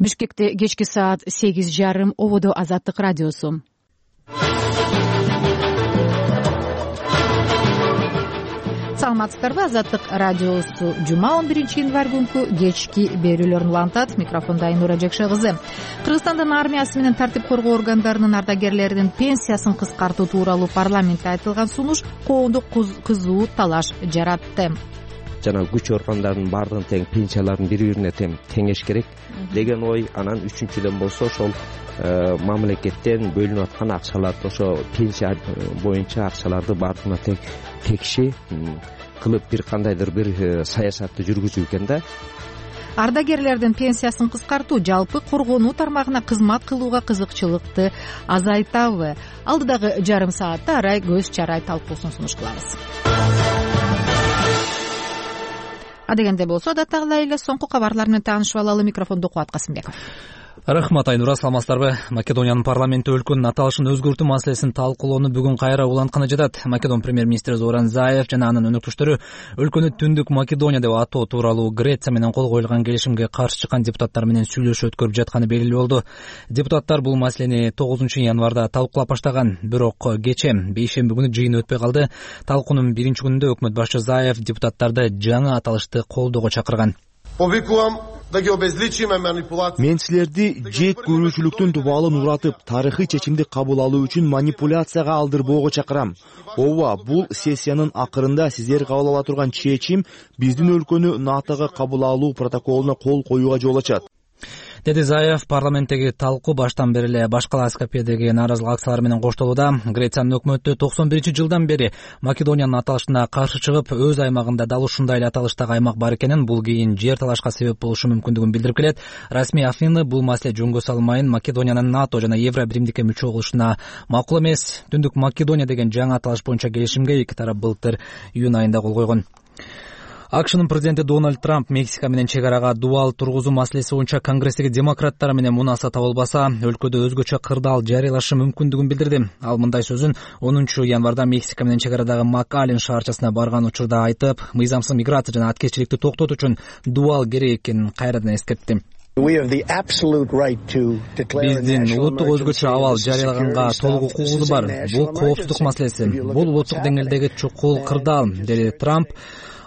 Бишкекте кечки саат сегиз жарым. Ободо Азаттык радиосу. Саламатсыздарбы? Азаттык радиосу жума он биринчи январь күнкү кечки берүүлөрүн улантат. Микрофондо Айнура Жекше кызы. Кыргызстандын армиясы менен тартип коргоо органдарынын ардагерлеринин пенсиясын кыскартуу тууралуу парламентте айтылган сунуш коомдук кызуу талаш жаратты. Жана күч органдарынын баардыгын тең, пенсияларын бири бирине тең теңеш керек деген ой. Анан үчүнчүдөн болсо ошол мамлекеттен бөлүнүп аткан акчаларды, ошо пенсия боюнча акчаларды баардыгына тең текши кылып бир кандайдыр бир саясатты жүргүзүү экен да. Ардагерлердин пенсиясын кыскартуу жалпы коргонуу тармагына кызмат кылууга кызыкчылыкты азайтабы? Алдыдагы жарым саатта арай көз чарай талкуусун сунуш кылабыз. Адегенде болсо адаттагыдай эле соңку кабарлар менен таанышып алалы. Микрофондо Кубат Касымбеков. Рахмат, Айнура. Саламатсыздарбы? Македониянын парламенти өлкөнүн аталышын өзгөртүү маселесин талкуулоону бүгүн кайра улантканы жатат. Македон премьер-министри Зоран Заев жана анын өнөктөштөрү өлкөнү Түндүк Македония деп атоо тууралуу Греция менен кол коюлган келишимге каршы чыккан депутаттар менен сүйлөшүү өткөрүп жатканы белгилүү болду. Депутаттар бул маселени тогузунчу январда талкуулап баштаган, бирок кечээ бейшемби күнү жыйын өтпөй калды. Талкуунун биринчи күнүндө өкмөт башчы Заев депутаттарды жаңы аталышты колдоого чакырган. Мен силерди жек көрүүчүлүктүн дубалын уратып, тарыхый чечимди кабыл алуу үчүн манипуляцияга алдырбоого чакырам. Ооба, бул сессиянын акырында сиздер кабыл ала турган чечим биздин өлкөнү НАТОго кабыл алуу протоколуна кол коюуга жол ачат, деди Заев. Парламенттеги талкуу баштан бери эле башкала СКПдеги нааразылык акциялары менен коштолууда. Грециянын өкмөтү токсон биринчи жылдан бери Македониянын аталышына каршы чыгып, өз аймагында дал ушундай эле аталыштагы аймак бар экенин, бул кийин жер талашка себеп болушу мүмкүндүгүн билдирип келет. Расмий Афины бул маселе жөнгө салмайын, Македониянын НАТО жана Евро биримдикке мүчө болушуна макул эмес. Түндүк Македония деген жаңы аталыш боюнча келишимге эки тарап былтыр июнь айында кол койгон. АКШнын президенти Дональд Трамп Мексика менен чек арага дубал тургузуу маселеси боюнча Конгресстеги демократтар менен мунаса табылбаса, өлкөдө өзгөчө кырдаал жарыялашы мүмкүндүгүн билдирди. Ал мындай сөзүн онунчу январда Мексика менен чек арадагы МакАлен шаарчасына барган учурда айтып, мыйзамсыз миграция жана аткезчиликти токтотуу үчүн дубал керек экенин кайрадан эскертти. Биздин улуттук өзгөчө абал жарыялаганга толук укугубуз бар. Бул коопсуздук маселеси. Бул улуттук деңгээлдеги чукул кырдаал, деди Трамп.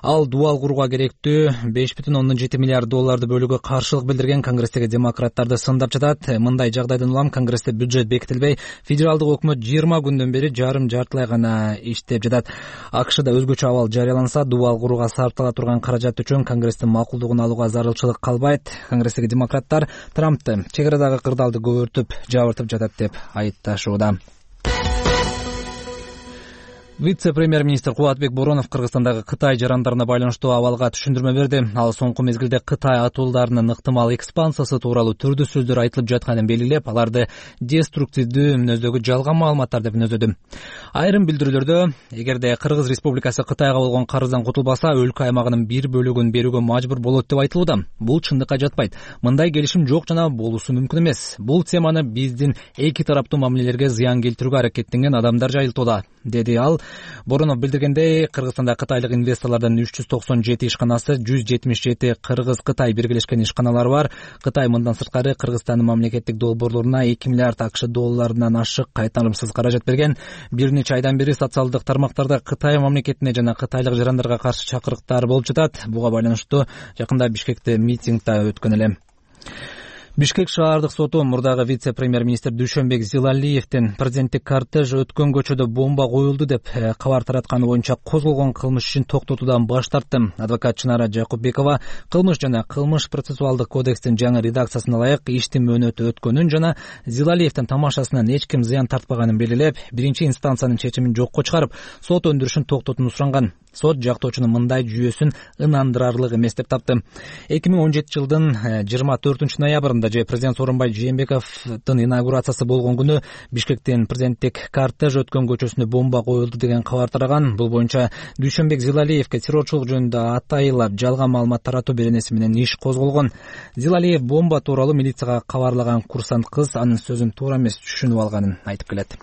Ал дубал курууга керектүү беш бүтүн ондон жети миллиард долларды бөлүүгө каршылык билдирген Конгресстеги демократтарды сындап жатат. Мындай жагдайдан улам Конгрессте бюджет бекитилбей, федералдык өкмөт жыйырма күндөн бери жарым жартылай гана иштеп жатат. АКШда өзгөчө абал жарыяланса, дубал курууга сарптала турган каражат үчүн Конгресстин макулдугун алууга зарылчылык калбайт. Конгресстеги демократтар Трампты чек арадагы кырдаалды көбөртүп, жабыртып жатат деп айыпташууда. Вице-премьер-министр Кубатбек Боронов Кыргызстандагы Кытай жарандарына байланыштуу абалга түшүндүрмө берди. Ал соңку мезгилде Кытай атуулдарынын ыктымал экспансиясы тууралуу түрдүү сөздөр айтылып жатканын белгилеп, аларды деструктивдүү мүнөздөгү жалган маалыматтар деп мүнөздөдү. Айрым билдирүүлөрдө, эгерде Кыргыз Республикасы Кытайга болгон карыздан кутулбаса, өлкө аймагынын бир бөлүгүн берүүгө мажбур болот деп айтылууда. Бул чындыкка жатпайт. Мындай келишим жок жана болуусу мүмкүн эмес. Бул теманы биздин эки тараптуу мамилелерге зыян келтирүүгө аракеттенген адамдар жайылтууда, деди ал. Боронов билдиргендей, Кыргызстанда кытайлык инвесторлордун үч жүз токсон жети ишканасы, жүз жетимиш жети Кыргыз-Кытай биргелешкен ишканалары бар. Кытай мындан сырткары Кыргызстандын мамлекеттик долбоорлоруна эки миллиард акш долларынан ашык кайтарымсыз каражат берген. Бир нече айдан бери социалдык тармактарда Кытай мамлекетине жана кытайлык жарандарга каршы чакырыктар болуп жатат. Буга байланыштуу жакында Бишкекте митинг да өткөн эле. Бишкек шаардык соту мурдагы вице-премьер-министр Дүйшөнбек Зилалиевдин президенттик кортеж өткөн көчөдө бомба коюлду деп кабар таратканы боюнча козголгон кылмыш ишин токтотуудан баш тартты. Адвокат Чынара Жакупбекова кылмыш жана кылмыш процессуалдык кодекстин жаңы редакциясына ылайык иштин мөөнөтү өткөнүн жана Зилалиевдин тамашасынан эч ким зыян тартпаганын белгилеп, биринчи инстанциянын чечимин жокко чыгарып, сот өндүрүшүн токтотууну суранган. Сот жактоочунун мындай жүйөсүн ынандырарлык эмес деп тапты. эки миң он жетинчи жылдын жыйырма төртүнчү ноябрында же президент Сооронбай Жээнбековдун инаугурациясы болгон күнү Бишкектин президенттик кортеж өткөн көчөсүнө бомба коюлду деген кабар тараган. Бул боюнча Дүйшөнбек Зилалиевге террорчулук жөнүндө атайылап жалган маалымат таратуу беренеси менен иш козголгон. Зилалиев бомба тууралуу милицияга кабарлаган курсант кыз анын сөзүн туура эмес түшүнүп алганын айтып келет.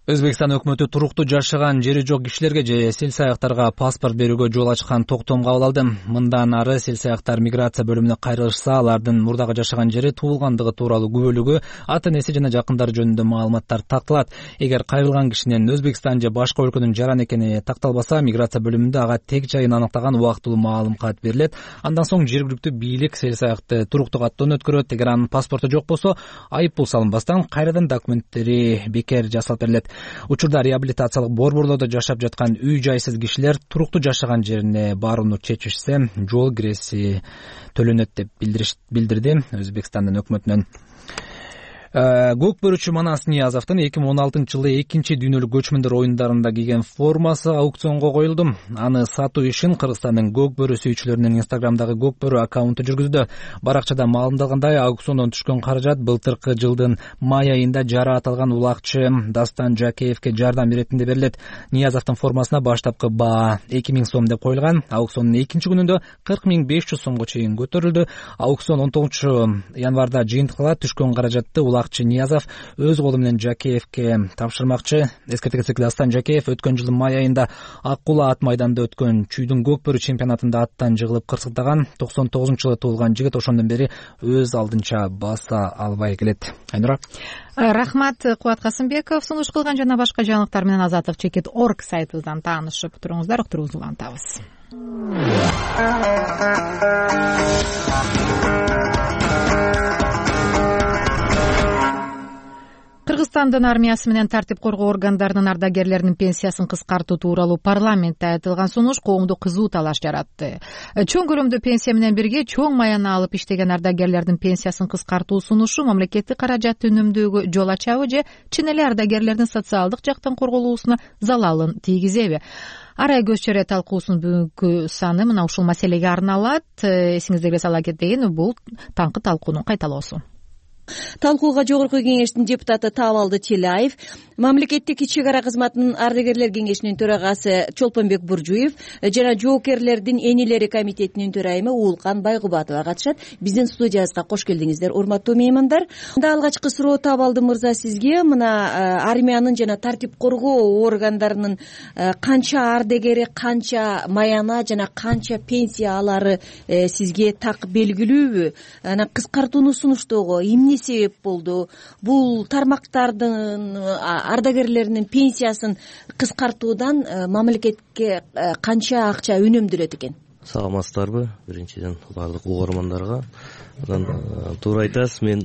Өзбекстан өкмөтү туруктуу жашаган жери жок кишилерге же селсаяктарга паспорт берүүгө жол ачкан токтом кабыл алды. Мындан ары селсаяктар миграция бөлүмүнө кайрылышса, алардын мурдагы жашаган жери, туулгандыгы тууралуу күбөлүгү, ата-энеси жана жакындары жөнүндө маалыматтар такталат. Эгер кайрылган кишинин Өзбекстан же башка өлкөнүн жараны экени такталбаса, миграция бөлүмүндө ага тег жайын аныктаган убактылуу маалымат берилет. Андан соң жергиликтүү бийлик селсаякты туруктуу каттоон өткөрөт. Эгер анын паспорту жок болсо, айып пул салынбастан кайрадан документтери бекер жасалып берилет. Учурда реабилитациялык борборлордо жашап жаткан үй жайсыз кишилер туруктуу жашаган жерине барууну чечишсе, жол киреси төлөнөт деп билдирди Өзбекстандын өкмөтүнөн. Көк бөрүчү Манас Ниязовдун эки миң он алтынчы жылы экинчи дүйнөлүк көчмөндөр оюндарында кийген формасы аукционго коюлду. Аны сатуу ишин Кыргызстандын көк бөрү сүйүүчүлөрүнүн Инстаграмдагы көк бөрү аккаунту жүргүздү. Баракчада маалымдалгандай, аукциондон түшкөн каражат былтыркы жылдын май айында жара аталган улакчы Дастан Жакеевге жардам иретинде берилет. Ниязовдун формасына баштапкы баа эки миң сом деп коюлган. Аукциондун экинчи күнүндө кырк миң беш жүз сомго чейин көтөрүлдү. Аукцион он тогузунчу январда жыйынтыкталат. Түшкөн каражатты Ниязов өз колу менен Жакеевке тапшырмакчы. Эскерте кетсек, Дастан Жакеев өткөн жылдын май айында Ак Кула ат майданда өткөн чүйдүн көк бөрү чемпионатында аттан жыгылып кырсыктаган. токсон тогузунчу жылы туулган жигит ошондон бери өз алдынча баса албай келет. Айнура. Рахмат, Кубат Касымбеков. Сунуш кылган жана башка жаңылыктар менен азаттык чекит точка орг сайтыбыздан таанышып туруңуздар. Уктуруңузду улантабыз. Кыргызстандын армиясы менен тартип коргоо органдарынын ардагерлеринин пенсиясын кыскартуу тууралуу парламентте айтылган сунуш коомдо кызуу талаш жаратты. Чоң көлөмдө пенсия менен бирге чоң маяны алып иштеген ардагерлердин пенсиясын кыскартуу сунушу мамлекеттик каражатты үнөмдөөгө жол ачабы же чын эле ардагерлердин социалдык жактан корголуусуна залалын тийгизеби? Арай көз чөйрө талкуусунун бүгүнкү саны мына ушул маселеге арналат. Эсиңиздерге сала кетейин, бул таңкы талкуунун кайталоосу. Талкууга жогорку кеңештин депутаты Табалды Челаев, мамлекеттик чек ара кызматынын ардагерлер кеңешинин төрагасы Чолпонбек Буржуев жана жоокерлердин энелери комитетинин төрайымы Уулкан Байгубатова катышат. Биздин студиябызга кош келдиңиздер, урматтуу меймандар. Мында алгачкы суроо Табалды мырза сизге. Мына армиянын жана тартип коргоо органдарынын канча ардагери, канча маяна жана канча пенсия алары сизге так белгилүүбү? Анан кыскартууну сунуштоого эмне себеп болду? Бул тармактардын ардагерлеринин пенсиясын кыскартуудан мамлекетке канча акча үнөмдөлөт экен? Саламатсыздарбы? Биринчиден баардык угармандарга. Туура айтасыз, мен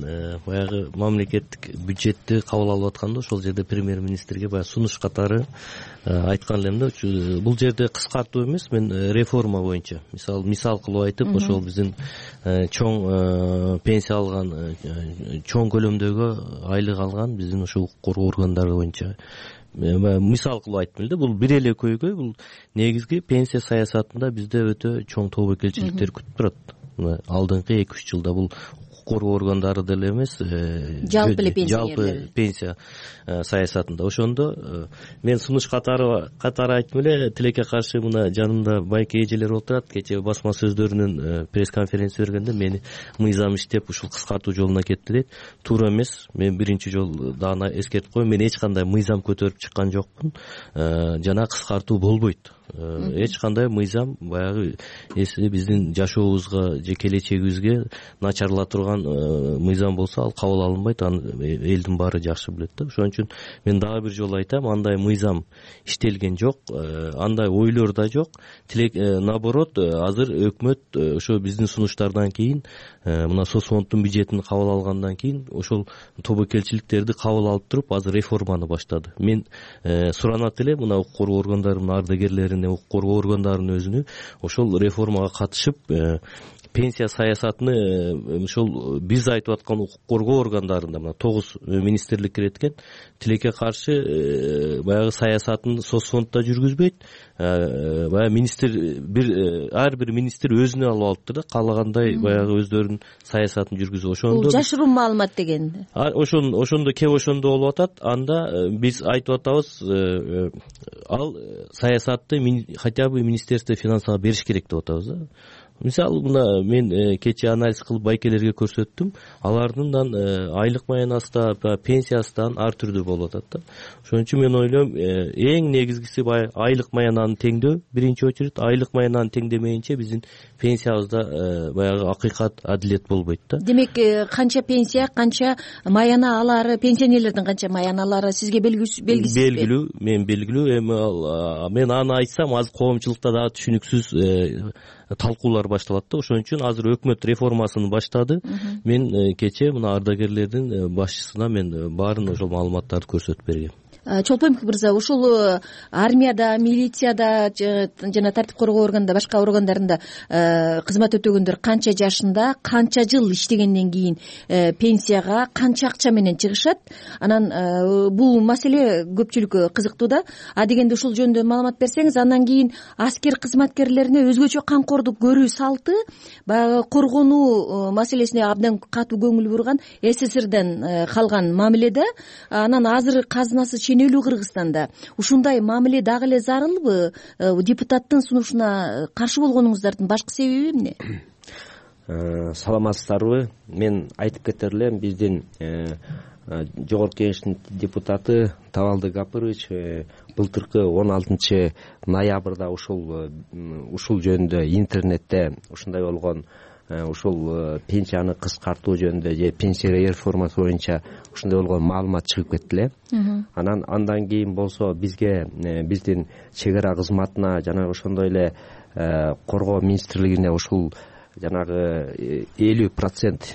баягы мамлекеттик бюджетти кабыл алып атканда ошол жерде премьер-министрге баягы сунуш катары айткан элем да, бул жерде кыскартуу эмес, мен реформа боюнча мисал мисал кылып айтып, ошол биздин чоң пенсия алган, чоң көлөмдөгү айлык алган биздин ошо укук коргоо органдары боюнча мисал кылып айттым эле. Бул бир эле көйгөй, бул негизги пенсия саясатында бизде өтө чоң тобокелчиликтер күтүп турат. Алдыңкы эки үч жылда бул укук коргоо органдары деле эмес, жалпы эле пенсия жалпы пенсия саясатында. Ошондо мен сунуш катары катары айтып эле тилекке каршы мына жанымда байке эжелер отурат. Кечээ басма сөздөрүнүн пресс конференция бергенде мени мыйзам иштеп ушул кыскартуу жолуна кетти дейт. Туура эмес. Мен биринчи жолу дагы эскертип коеюн, мен эч кандай мыйзам көтөрүп чыккан жокмун. Жана кыскартуу болбойт. Эч кандай мыйзам баягы эси биздин жашообузга же келечегибизге начарлата турган мыйзам болсо ал кабыл алынбайт. Аны элдин баары жакшы билет да. Ошон үчүн мен дагы бир жолу айтам, андай мыйзам иштелген жок, андай ойлор да жок. Тилек наоборот, азыр өкмөт ошо биздин сунуштардан кийин, мына соцфонддун бюджетин кабыл алгандан кийин ошол тобокелчиликтерди кабыл алып туруп азыр реформаны баштады. Мен суранат элем мына укук коргоо органдарынын ардагерлерин, укук коргоо органдарынын өзүнө ошол реформага катышып пенсия саясатыны ошол биз айтып аткан укук коргоо органдарында мына тогуз министрлик кирет экен, тилекке каршы баягы саясатын соцфонддо жүргүзбөйт. Баягы министр бир ар бир министр өзүнө алып алыптыр да, каалагандай баягы өздөрүнүн саясатын жүргүзүп. Ошондо бул жашыруун маалымат деген. Ошон ошондо кеп ошондо болуп атат. Анда биз айтып атабыз, ал саясатты хотя бы министерство финансага бериш керек деп атабыз да. Мисалы мына мен кечээ анализ кылып байкелерге көрсөттүм. Алардын айлык маянасы да, пенсиясы да ар түрдүү болуп атат да. Ошон үчүн мен ойлойм, эң негизгиси баягы айлык маянаны теңдөө. Биринчи очередь айлык маянаны теңдемейинче биздин пенсиябызда баягы акыйкат, адилет болбойт да. Демек, канча пенсия, канча маяна алары, пенсионерлердин канча маяна алары сизге белгисизби? Белгилүү, мен белгилүү. Эми ал мен аны айтсам азыр коомчулукта дагы түшүнүксүз талкуулар башталат да. Ошон үчүн азыр өкмөт реформасын баштады. Мен кечээ мына ардагерлердин башчысына мен баарын ошол маалыматтарды көрсөтүп бергем. Чолпонбек мырза, ушул армияда, милицияда жана тартип коргоо органында, башка органдарында кызмат өтөгөндөр канча жашында, канча жыл иштегенден кийин пенсияга канча акча менен чыгышат? Анан бул маселе көпчүлүккө кызыктуу да. А дегенде ушул жөнүндө маалымат берсеңиз, андан кийин аскер кызматкерлерине өзгөчө камкордук көрүү салты баягы коргонуу маселесине абдан катуу көңүл бурган СССРден калган мамиле да. Анан азыр казынасы ченелүү Кыргызстанда ушундай мамиле дагы эле зарылбы? Депутаттын сунушуна каршы болгонуңуздардын башкы себеби эмне? Саламатсыздарбы? Мен айтып кетер элем, биздин жогорку кеңештин депутаты Табалды Гапырыч былтыркы он алтынчы ноябрда ушул ушул жөнүндө интернетте ушундай болгон ушул пенсияны кыскартуу жөнүндө же пенсия реформасы боюнча ушундай болгон маалымат чыгып кетти эле. Анан андан кийин болсо бизге, биздин чек ара кызматына жана ошондой эле коргоо министрлигине ушул жанагы элүү процент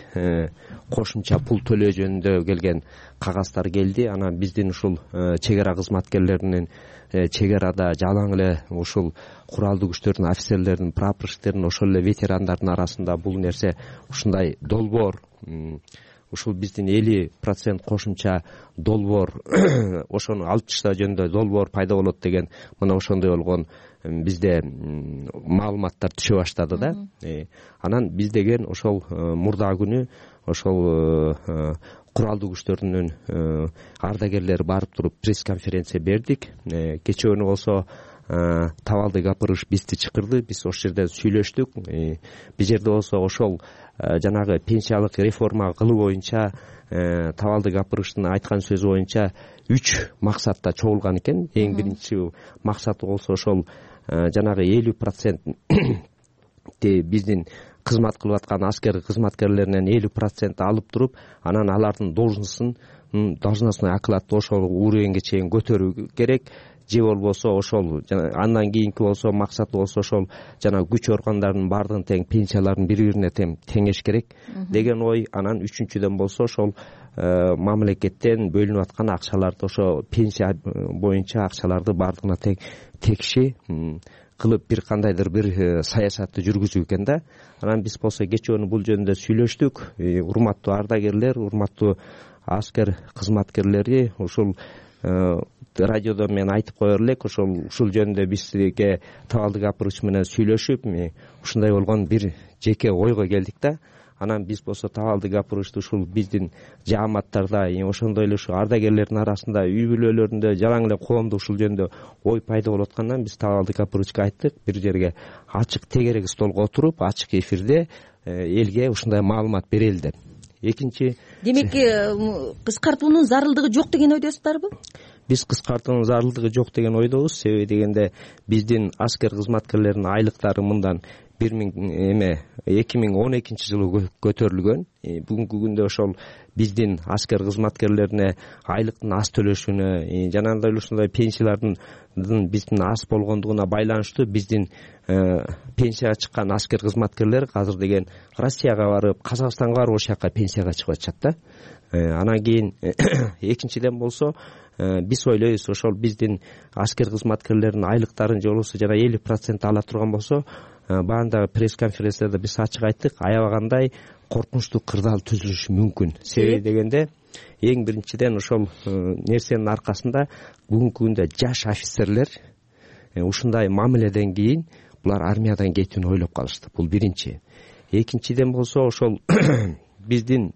кошумча пул төлөө жөнүндө келген кагаздар келди. Анан биздин ушул чек ара кызматкерлеринин чек арада жалаң эле ушул куралдуу күчтөрдүн офицерлердин, прапорщиктердин, ошол эле ветерандардын арасында бул нерсе ушундай долбоор, ушул биздин элүү процент кошумча долбоор ошону алып таштоо жөнүндө долбоор пайда болот деген мына ошондой болгон бизде маалыматтар түшө баштады да. Анан биз деген ошол мурда күнү ошол куралдуу күчтөрдүн ардагерлери барып туруп пресс конференция бердик. Кечөөнү болсо Табалды Гапырыч бизди чакырды, биз ошол жерде сүйлөштүк. Бул жерде болсо ошол жанагы пенсиялык реформа кылуу боюнча Табалды Гапырычтын айткан сөзү боюнча үч максатта чогулган экен. Эң биринчи максаты болсо ошол жанагы элүү процент биздин кызмат кылып аткан аскер кызматкерлеринен элүү процент алып туруп, анан алардын должностун должностной окладды ошол уровеньге чейин көтөрүү керек. Же болбосо ошол андан кийинки болсо максаты болсо ошол жана күч органдарынын баардыгын тең пенсияларын бири бирине тең теңеш керек деген ой. Анан үчүнчүдөн болсо ошол мамлекеттен бөлүнүп аткан акчаларды, ошо пенсия боюнча акчаларды баардыгына тең текши кылып бир кандайдыр бир саясатты жүргүзүү экен да. Анан биз болсо кечөөнү бул жөнүндө сүйлөштүк. Урматтуу ардагерлер, урматтуу аскер кызматкерлери, ушул радиодо мен айтып коер элек, ошол ушул жөнүндө бизге Табалды Гапырыч менен сүйлөшүп ушундай болгон бир жеке ойго келдик да. анан биз болсо табалды гапырышты ушул биздин жааматтарда ошондой эле ушул ардагерлердин арасында үй бүлөлөрүндө жалаң эле коомдо ушул жөнүндө ой пайда болуп аткандан биз табалды гапырышка айттык бир жерге ачык тегерек столго отуруп ачык эфирде элге ушундай маалымат берели деп. Экинчи, демек кыскартуунун зарылдыгы жок деген ойдосуздарбы? Биз кыскартуунун зарылдыгы жок деген ойдобуз. Себеби дегенде биздин аскер кызматкерлеринин айлыктары мындан бир миң эме эки миң он экинчи жылы көтөрүлгөн. Бүгүнкү күндө ошол биздин аскер кызматкерлерине айлыктын аз төлөшүнө жанагындай эле ушундай пенсиялардын биздин аз болгондугуна байланыштуу биздин пенсияга чыккан аскер кызматкерлер азыр деген Россияга барып, Казакстанга барып ошол жака пенсияга чыгып атышат да. Анан кийин экинчиден болсо биз ойлойбуз ошол биздин аскер кызматкерлеринин айлыктарын же болбосо жана элүү процент ала турган болсо, баандагы пресс конференцияда биз ачык айттык, аябагандай коркунучтуу кырдаал түзүлүшү мүмкүн. Себеби дегенде эң биринчиден ошол нерсенин аркасында бүгүнкү күндө жаш офицерлер ушундай мамиледен кийин булар армиядан кетүүнү ойлоп калышты. Бул биринчи. Экинчиден болсо ошол биздин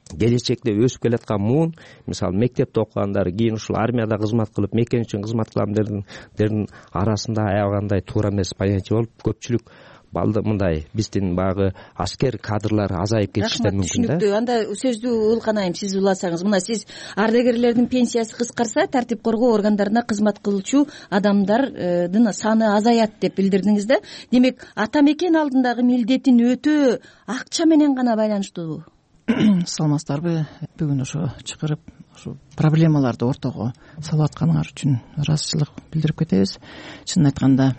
келечекте өсүп келаткан муун, мисалы мектепте окугандар кийин ушул армияда кызмат кылып, мекен үчүн кызмат кыламдардын арасында аябагандай туура эмес понятие болуп, көпчүлүк балды мындай биздин баягы аскер кадрлар азайып кетиши мүмкүн да. Түшүнүктүү. Анда сөздү улканайым, сиз уласаңыз. Мына сиз ардагерлердин пенсиясы кыскарса, тартип коргоо органдарына кызмат кылуучу адамдардын саны азаят деп билдирдиңиз да. Демек, ата мекен алдындагы милдетин өтөө акча менен гана байланыштуубу? Саламатсыздарбы? Бүгүн ошо чакырып, ошо проблемаларды ортого салып атканыңар үчүн ыраазычылык билдирип кетебиз. Чынын айтканда,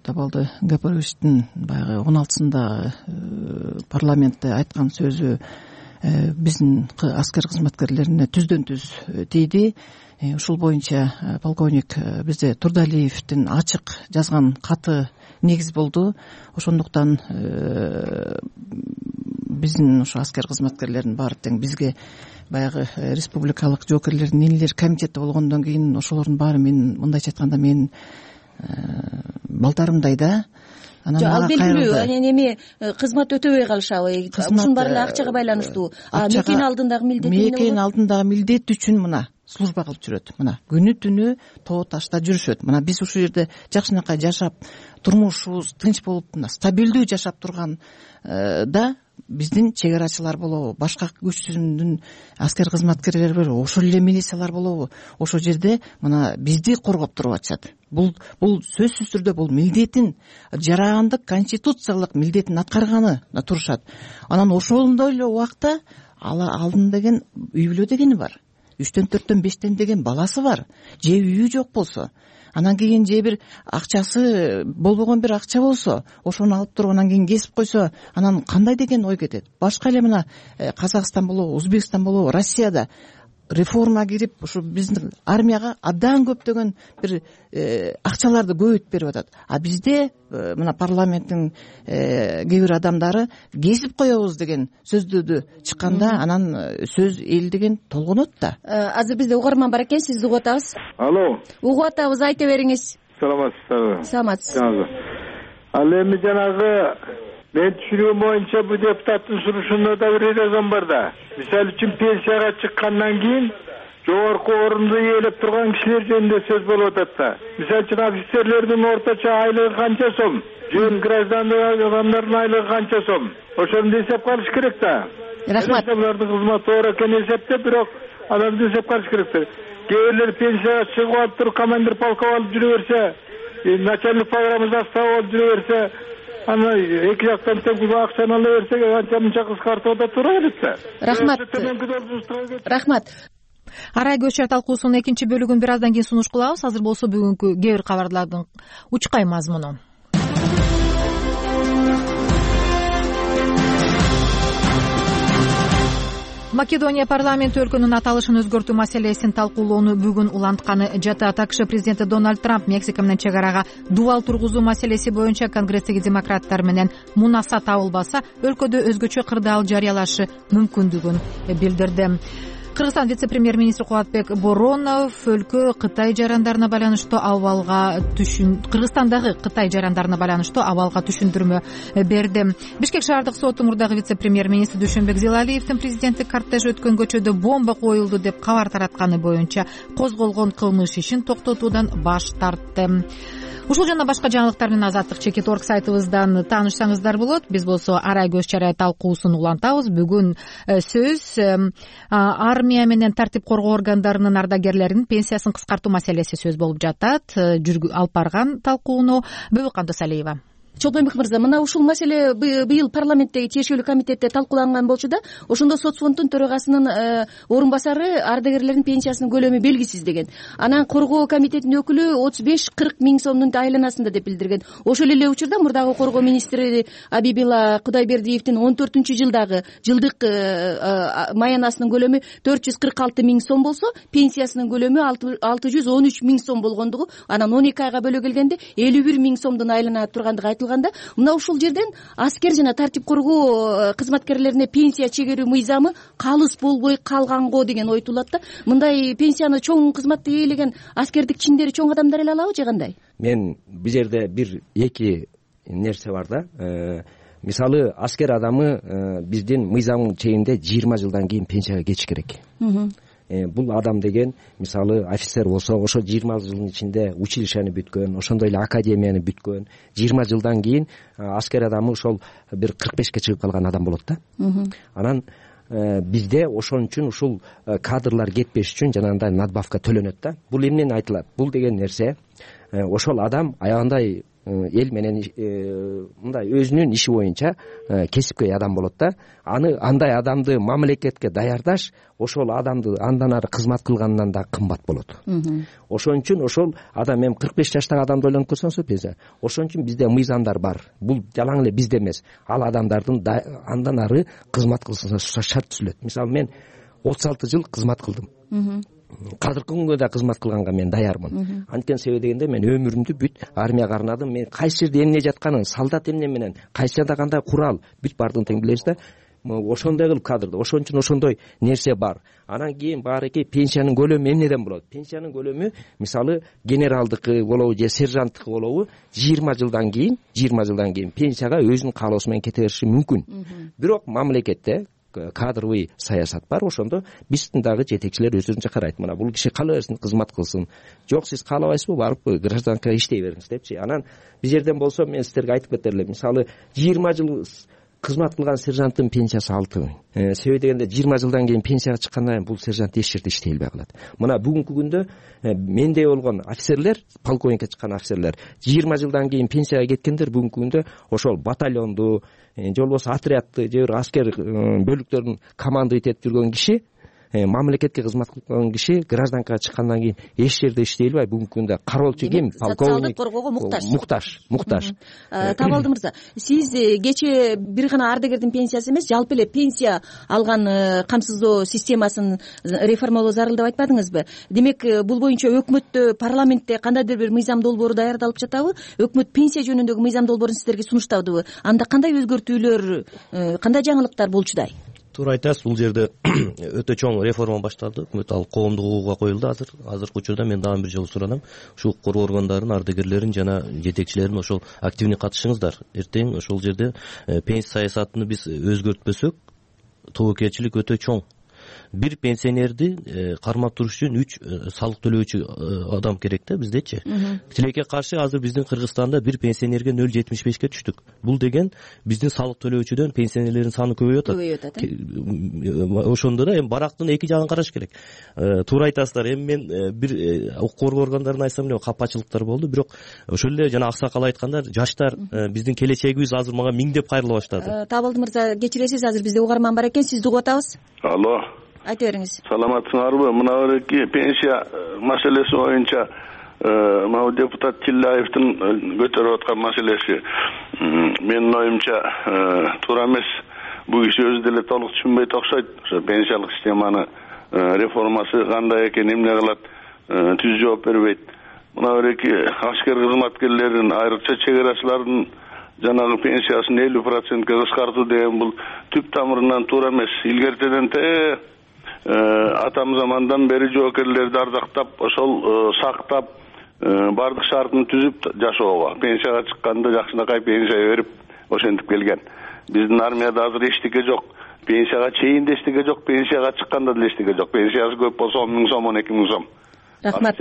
Табалды Гапаровичтин баягы он алтысында парламентте айткан сөзү биздин аскер кызматкерлерине түздөн түз тийди. Ушул боюнча полковник бизде Турдалиевдин ачык жазган каты негиз болду. Ошондуктан биздин ошо аскер кызматкерлеринин баары тең бизге баягы республикалык жоокерлердин энелер комитети болгондон кийин ошолордун баары мен мындайча айтканда менин балдарымдай да. Анан ал белгилүү, анан эми кызмат өтөбөй калышабы? Ушунун баары эле акчага байланыштуу. Мекен алдындагы милдет эмне болот? Мекен алдындагы милдет үчүн мына служба кылып жүрөт. Мына күнү түнү тоо ташта жүрүшөт. Мына биз ушул жерде жакшынакай жашап, турмушубуз тынч болуп, мына стабилдүү жашап турган да биздин чек арачылар болобу, башка күч түзүмдүн аскер кызматкерлери болобу, ошол эле милициялар болобу, ошол жерде мына бизди коргоп туруп атышат. Бул бул сөзсүз түрдө бул милдетин, жарандык конституциялык милдетин аткарганы турушат. Анан ошондой эле убакта алдын деген үй бүлө дегени бар. үчтөн төрттөн бештен деген баласы бар. Же үйү жок болсо, анан кийин же бир акчасы болбогон бир акча болсо, ошону алып туруп анан кийин кесип койсо, анан кандай деген ой кетет? Башка эле мына Казакстан болобу, Өзбекстан болобу, Россияда реформа кирип, ушу биздин армияга абдан көптөгөн бир акчаларды көбөйтүп берип атат. А бизде мына парламенттин кээ бир адамдары кесип коебуз деген сөздөрдү чыкканда, анан сөз эл деген толгонот да. Азыр бизде угарман бар экен, сизди угуп атабыз. Алло. Угуп атабыз, айта бериңиз. Саламатсыздарбы? Саламатсыз. Ал эми жанагы мен түшүнүгүм боюнча бул депутаттын сунушунда да бир резон бар да. Мисалы үчүн пенсияга чыккандан кийин жогорку орунду ээлеп турган кишилер жөнүндө сөз болуп атат да. Мисалы үчүн офицерлердин орточо айлыгы канча сом, жөн граждандык адамдардын айлыгы канча сом, ошону эсеп караш керек да. Рахмат. Алардын кызматы оор экен эсептеп, бирок аларды эсеп караш керек да. Кээ бирлер пенсияга чыгып алып туруп командир полков алып жүрө берсе, начальник программа заставы алып жүрө берсе, аны эки жактан тең акчаны ала берсек, анча мынча кыскартуу да туура келет да. Рахмат. Рахмат. Арай көчөр талкуусунун экинчи бөлүгүн бир аздан кийин сунуш кылабыз. Азыр болсо бүгүнкү кээ бир кабарлардын учкай мазмуну. Македония парламенти өлкөнүн аталышын өзгөртүү маселесин талкуулоону бүгүн улантканы жатат. АКШ президенти Дональд Трамп Мексика менен чек арага дубал тургузуу маселеси боюнча Конгресстеги демократтар менен мунаса табылбаса, өлкөдө өзгөчө кырдаал жарыялашы мүмкүндүгүн билдирди. Кыргызстан вице-премьер-министри Кубатбек Боронов өлкө Кытай жарандарына байланыштуу абалга түшүн Кыргызстандагы Кытай жарандарына байланыштуу абалга түшүндүрмө берди. Бишкек шаардык соттун мурдагы вице-премьер-министри Дүйшөнбек Зилалиевдин президенттик кортеж өткөн көчөдө бомба коюлду деп кабар таратканы боюнча козголгон кылмыш ишин токтотуудан баш тартты. Ушул жана башка жаңылыктар менен азаттык чекит орг сайтыбыздан таанышсаңыздар болот. Биз болсо арай көз чарай талкуусун улантабыз. Бүгүн сөз армия менен тартип коргоо органдарынын ардагерлеринин пенсиясын кыскартуу маселеси сөз болуп жатат. Алып барган талкууну Бөбөк Абдысалиева. Чолпонбек мырза, мына ушул маселе быйыл парламенттеги тиешелүү комитетте талкууланган болчу да, ошондо соцфонддун төрагасынын орун басары ардагерлердин пенсиясынын көлөмү белгисиз деген. Анан коргоо комитетинин өкүлү отуз беш кырк миң сомдун айланасында деп билдирген. Ошол эле учурда мурдагы коргоо министри Абибила Кудайбердиевдин он төртүнчү жылдагы жылдык маянасынын көлөмү төрт жүз кырк алты миң сом болсо, пенсиясынын көлөмү алты жүз он үч миң сом болгондугу, анан он эки айга бөлө келгенде элүү бир миң сомдун айлана тургандыгы айтылган. Мына ушул жерден аскер жана тартип коргоо кызматкерлерине пенсия чегерүү мыйзамы калыс болбой калганго деген ой туулат да. Мындай пенсияны чоң кызматты ээлеген аскердик чиндери чоң адамдар эле алабы же кандай? Мен бул жерде бир эки нерсе бар да. Мисалы, аскер адамы биздин мыйзамдын чегинде жыйырма жылдан кийин пенсияга кетиш керек. Бул адам деген, мисалы, офицер болсо, ошо жыйырма жылдын ичинде училищени бүткөн, ошондой эле академияны бүткөн, жыйырма жылдан кийин аскер адамы ошол бир кырк бешке чыгып калган адам болот да. Анан бизде ошон үчүн ушул кадрлар кетпеш үчүн жанагындай надбавка төлөнөт да. Бул эмнени айтылат? Бул деген нерсе ошол адам аябандай эл менен мындай өзүнүн иши боюнча кесипкөй адам болот да. Аны андай адамды мамлекетке даярдаш ошол адамды андан ары кызмат кылгандан да кымбат болот. Ошон үчүн ошол адам, эми кырк беш жаштагы адамды ойлонуп көрсөңүз пенсия. Ошон үчүн бизде мыйзамдар бар. Бул жалаң эле бизде эмес. Ал адамдардын андан ары кызмат кылсына шарт түзүлөт. Мисалы, мен отуз алты жыл кызмат кылдым. Казыркы күнгө да кызмат кылганга мен даярмын. Анткени себеби дегенде мен өмүрүмдү бүт армияга арнадым. Мен кайсы жерде эмне жатканын, солдат эмне менен, кайсы жерде кандай курал, бүт бардыгын тең билебиз да. Ошондой кылып кадрды. Ошон үчүн ошондой нерсе бар. Анан кийин баарыки пенсиянын көлөмү эмнеден болот? Пенсиянын көлөмү, мисалы, генералдыкы болобу же сержанттыкы болобу, жыйырма жылдан кийин, жыйырма жылдан кийин пенсияга өзүнүн каалоосу менен кете бериши мүмкүн. Бирок мамлекетте кадровый саясат бар, ошондо биздин дагы жетекчилер өздөрүнчө карайт. Мына бул киши каалабайсың кызмат кылсын. Жок, сиз каалабайсызбы, барып гражданка иштей бериңиз депчи. Анан биз жерден болсо мен сиздерге айтып кетер элем. Мисалы, жыйырма жыл кызмат кылган сержанттын пенсиясы алты миң. Себеби дегенде жыйырма жылдан кийин пенсияга чыккандан кийин бул сержант эч жерде иштей албай калат. Мына бүгүнкү күндө мендей болгон офицерлер, полковникке чыккан офицерлер жыйырма жылдан кийин пенсияга кеткендер бүгүнкү күндө ошол батальонду же болбосо отрядты же бир аскер бөлүктөрүн командовать этип жүргөн киши, мамлекетке кызмат кылган киши гражданкага чыккандан кийин эч жерде иштей албай бүгүнкү күндө кароолчу ким? Полковник. Социалдык коргоого муктаж. Муктаж, муктаж. Табалды мырза, сиз кечээ бир гана ардагердин пенсиясы эмес, жалпы эле пенсия алган камсыздоо системасын реформалоо зарыл деп айтпадыңызбы? Демек, бул боюнча өкмөттө, парламентте кандайдыр бир мыйзам долбоору даярдалып жатабы? Өкмөт пенсия жөнүндөгү мыйзам долбоорун сиздерге сунуштадыбы? Анда кандай өзгөртүүлөр, кандай жаңылыктар болчудай? Туура айтасыз, бул жерде өтө чоң реформа башталды. Өкмөт ал коомдук укугга коюлду. Азыр азыркы учурда мен дагы бир жолу суранам. Ушул коргоо органдарынын ардагерлерин жана жетекчилерин ошол активный катышыңыздар. Эртең ошол жерде пенсия саясатын биз өзгөртпөсөк, тобокелчилик өтө чоң. Бир пенсионерди кармап туруш үчүн үч салык төлөөчү адам керек да биздечи. Тилекке каршы азыр биздин Кыргызстанда бир пенсионерге нөл жетимиш бешке түштүк. Бул деген биздин салык төлөөчүдөн пенсионерлердин саны көбөйүп атат. Көбөйүп атат. Ошондо да эми барактын эки жагын караш керек. Туура айтасыздар. Эми мен бир укук коргоо органдарына айтсам эле капачылыктар болду, бирок ошол эле жана аксакал айткандар, жаштар биздин келечегибиз азыр мага миңдеп кайрыла баштады. Табалды мырза, кечиресиз, азыр бизде угарман бар экен, сизди угуп атабыз. Алло. Айта бериңиз. Саламатсыңарбы? Мына берки пенсия маселеси боюнча могу депутат Тилляевдин көтөрүп аткан маселеси менин оюмча туура эмес. Бул киши өзү деле толук түшүнбөйт окшойт. Ошо пенсиялык системаны реформасы кандай экен, эмне кылат, түз жооп бербейт. Мына берки аскер кызматкерлерин, айрыкча чек арачылардын жанагы пенсиясын элүү процентке кыскартуу деген бул түп тамырынан туура эмес. Илгертеден те атам замандан бери жоокерлерди ардактап, ошол сактап, бардык шартын түзүп жашоого, пенсияга чыкканда жакшынакай пенсия берип ошентип келген. Биздин армияда азыр эчтеке жок. Пенсияга чейин да эчтеке жок, пенсияга чыкканда да эчтеке жок. Пенсиясы көп болсо он миң сом, он эки миң сом. Рахмат.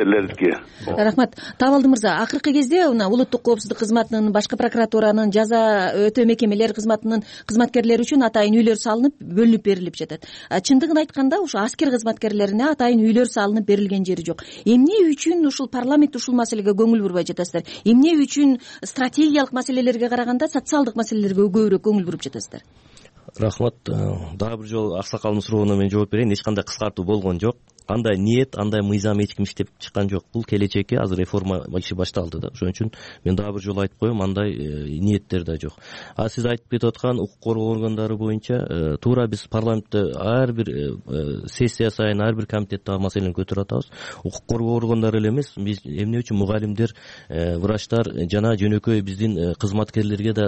Рахмат. Табалды мырза, акыркы кезде мына улуттук коопсуздук кызматынын, башкы прокуратуранын, жаза өтөө мекемелер кызматынын кызматкерлери үчүн атайын үйлөр салынып, бөлүнүп берилип жатат. Чындыгын айтканда, ушу аскер кызматкерлерине атайын үйлөр салынып берилген жери жок. Эмне үчүн ушул парламент ушул маселеге көңүл бурбай жатасыздар? Эмне үчүн стратегиялык маселелерге караганда социалдык маселелерге көбүрөөк көңүл буруп жатасыздар? Рахмат. Дагы бир жолу аксакалдын сурооуна мен жооп берейин. Эч кандай кыскартуу болгон жок. Андай ниет, андай мыйзам эч ким иштеп чыккан жок. Бул келечекке азыр реформа иши башталды да. Ошон үчүн мен дагы бир жолу айтып коем, андай ниеттер да жок. А сиз айтып кетип аткан укук коргоо органдары боюнча туура биз парламентте ар бир сессия сайын ар бир комитетте маселени көтөрүп атабыз. Укук коргоо органдары эле эмес, биз эмне үчүн мугалимдер, врачтар жана жөнөкөй биздин кызматкерлерге да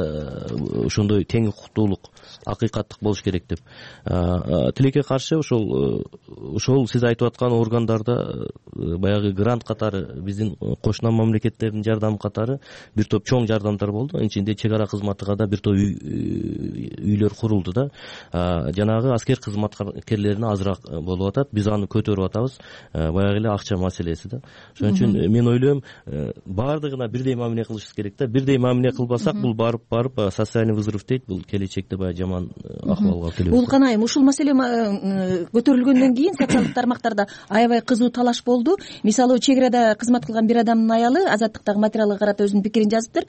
ошондой тең укуктуулук, акыйкаттык болуш керек деп. Тилекке каршы ошол ошол сиз айтып аткан органдарда баягы грант катары, биздин кошуна мамлекеттердин жардамы катары бир топ чоң жардамдар болду. Анын ичинде чек ара кызматыга да бир топ үйлөр курулду да. Жанагы аскер кызматкерлерине азыраак болуп атат. Биз аны көтөрүп атабыз. Баягы эле акча маселеси да. Ошон үчүн мен ойлойм, баардыгына бирдей мамиле кылышыбыз керек да. Бирдей мамиле кылбасак, бул барып барып социальный взрыв дейт. Бул келечекте баягы жаман акыбалга алып келет. Улукан айым, ушул маселе көтөрүлгөндөн кийин социалдык тармактарда аябай кызуу талаш болду. Мисалы, чек арада кызмат кылган бир адамдын аялы Азаттыктагы материалга карата өзүнүн пикирин жазыптыр.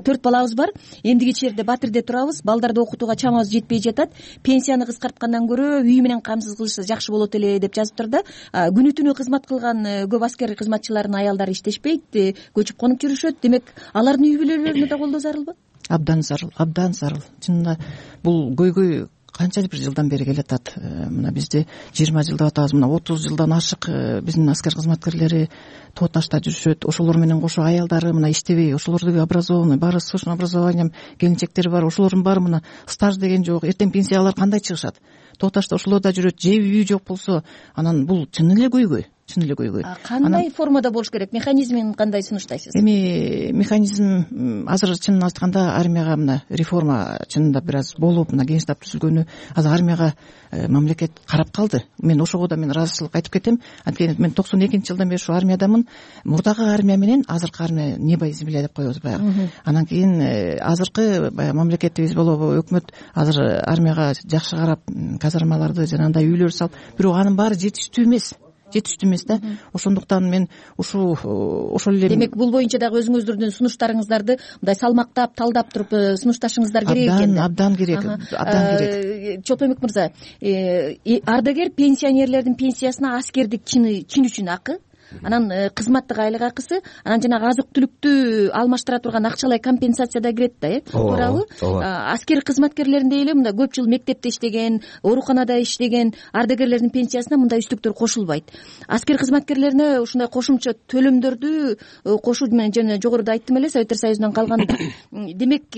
Төрт балабыз бар. Эмдиги жерде Батирде турабыз. Балдарды окутууга чамабыз жетпей жатат. Пенсияны кыскарткандан көрө үй менен камсыз кылышса жакшы болот эле деп жазыптыр да. Күнү түнү кызмат кылган көп аскер кызматчылардын аялдары иштешпейт, көчүп конуп жүрүшөт. Демек, алардын үй бүлөлөрүнө да колдоо зарылбы? Абдан зарыл, абдан зарыл. Чынында бул көйгөй канча бир жылдан бери келатат. Мына бизде жыйырма жыл деп атабыз, мына отуз жылдан ашык биздин аскер кызматкерлери тоо ташта жүрүшөт. Ошолор менен кошо аялдары мына иштебей, ошолордугу образованный, баары срочный образованием келинчектери бар. Ошолордун баары мына стаж деген жок. Эртең пенсиялар кандай чыгышат? Тоо ташта ошолорда жүрөт. Жеби үй жок болсо, анан бул чын эле көйгөй. Чын эле көйгөй. Кандай формада болуш керек? Механизмин кандай сунуштайсыз? Эми механизм азыр чынын айтканда армияга мына реформа чынында бир аз болуп, мына кеңештеп түзүлгөнү азыр армияга мамлекет карап калды. Мен ошого да мен ыраазычылык айтып кетем. Анткени мен токсон экинчи жылдан бери ушу армиядамын. Мурдагы армия менен азыркы армия небо и земля деп коебуз баягы. Анан кийин азыркы баягы мамлекетибиз болобу, өкмөт азыр армияга жакшы карап, казармаларды жанагындай үйлөр салып, бирок анын баары жетиштүү эмес. жетиштүү эмес да. Ошондуктан мен ушу ошол эле. Демек, бул боюнча дагы өзүңүздөрдүн сунуштарыңыздарды мындай салмактап, талдап туруп сунушташыңыздар керек экен. Абдан керек, абдан керек. Чолпонбек мырза, ардагер пенсионерлердин пенсиясына аскердик чины чин үчүн акы, анан кызматтык айлык акысы, анан жанагы азык түлүктү алмаштыра турган акчалай компенсация да кирет да, э? Туурабы? Аскер кызматкерлеринде эле мындай көп жыл мектепте иштеген, ооруканада иштеген ардагерлердин пенсиясына мындай үстүктөр кошулбайт. Аскер кызматкерлерине ушундай кошумча төлөмдөрдү кошуу менен жана жогоруда айттым эле, Советтер Союзунан калган. Демек,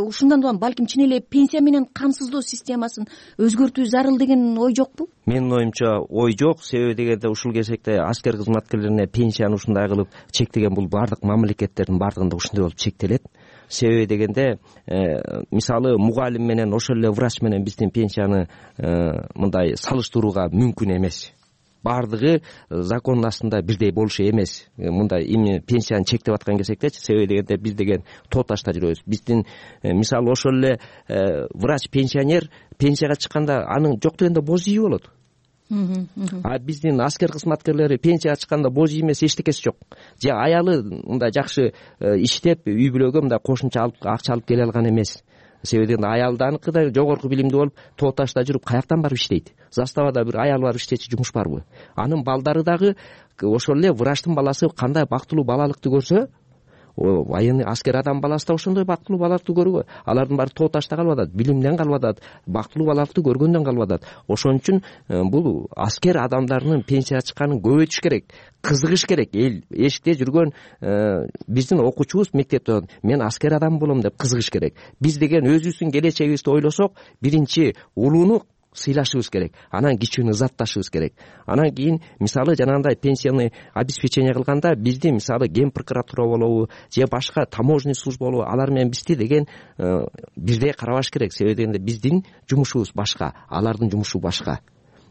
ушундан улам балким чын эле пенсия менен камсыздоо системасын өзгөртүү зарыл деген ой жокпу? Менин оюмча ой жок. Себеби дегенде ушул кезекте аскер кызматкерлерине пенсияны ушундай кылып чектеген бул бардык мамлекеттердин бардыгында ушундай болуп чектелет. Себеби дегенде мисалы мугалим менен ошол эле врач менен биздин пенсияны мындай салыштырууга мүмкүн эмес. Бардыгы закондун астында бирдей болушу эмес. Мындай эми пенсияны чектеп аткан кезектечи, себеби дегенде биз деген тоо ташта жүрөбүз. Биздин мисалы ошол эле врач пенсионер пенсияга чыкканда анын жок дегенде боз үйү болот. А биздин аскер кызматкерлери пенсияга чыкканда боз үй эмес, эчтекеси жок. Же аялы мындай жакшы иштеп үй бүлөгө мындай кошумча акча алып келе алган эмес. Себеби аялданыкы да жогорку билимдүү болуп, тоо ташта жүрүп каяктан барып иштейт? Заставада бир аял барып иштечи жумуш барбы? Анын балдары дагы ошол эле врачтын баласы кандай бактылуу балалыкты көрсө, военный аскер адам баласы да ошондой бактылуу балалыкты көргө. Алардын баары тоо ташта калып атат, билимден калып атат, бактылуу балалыкты көргөндөн калып атат. Ошон үчүн бул аскер адамдарынын пенсияга чыкканын көбөйтүш керек, кызыгыш керек. Эл эшикте жүргөн биздин окуучубуз мектепте мен аскер адам болом деп кызыгыш керек. Биз деген өзүбүздүн келечегибизди ойлосок, биринчи улууну сыйлашыбыз керек, анан кичүүнү ызатташыбыз керек. Анан кийин мисалы жанагындай пенсияны обеспечение кылганда бизди мисалы ген прокуратура болобу же башка таможенный служба болобу алар менен бизди деген бирдей карабаш керек. Себеби дегенде биздин жумушубуз башка, алардын жумушу башка.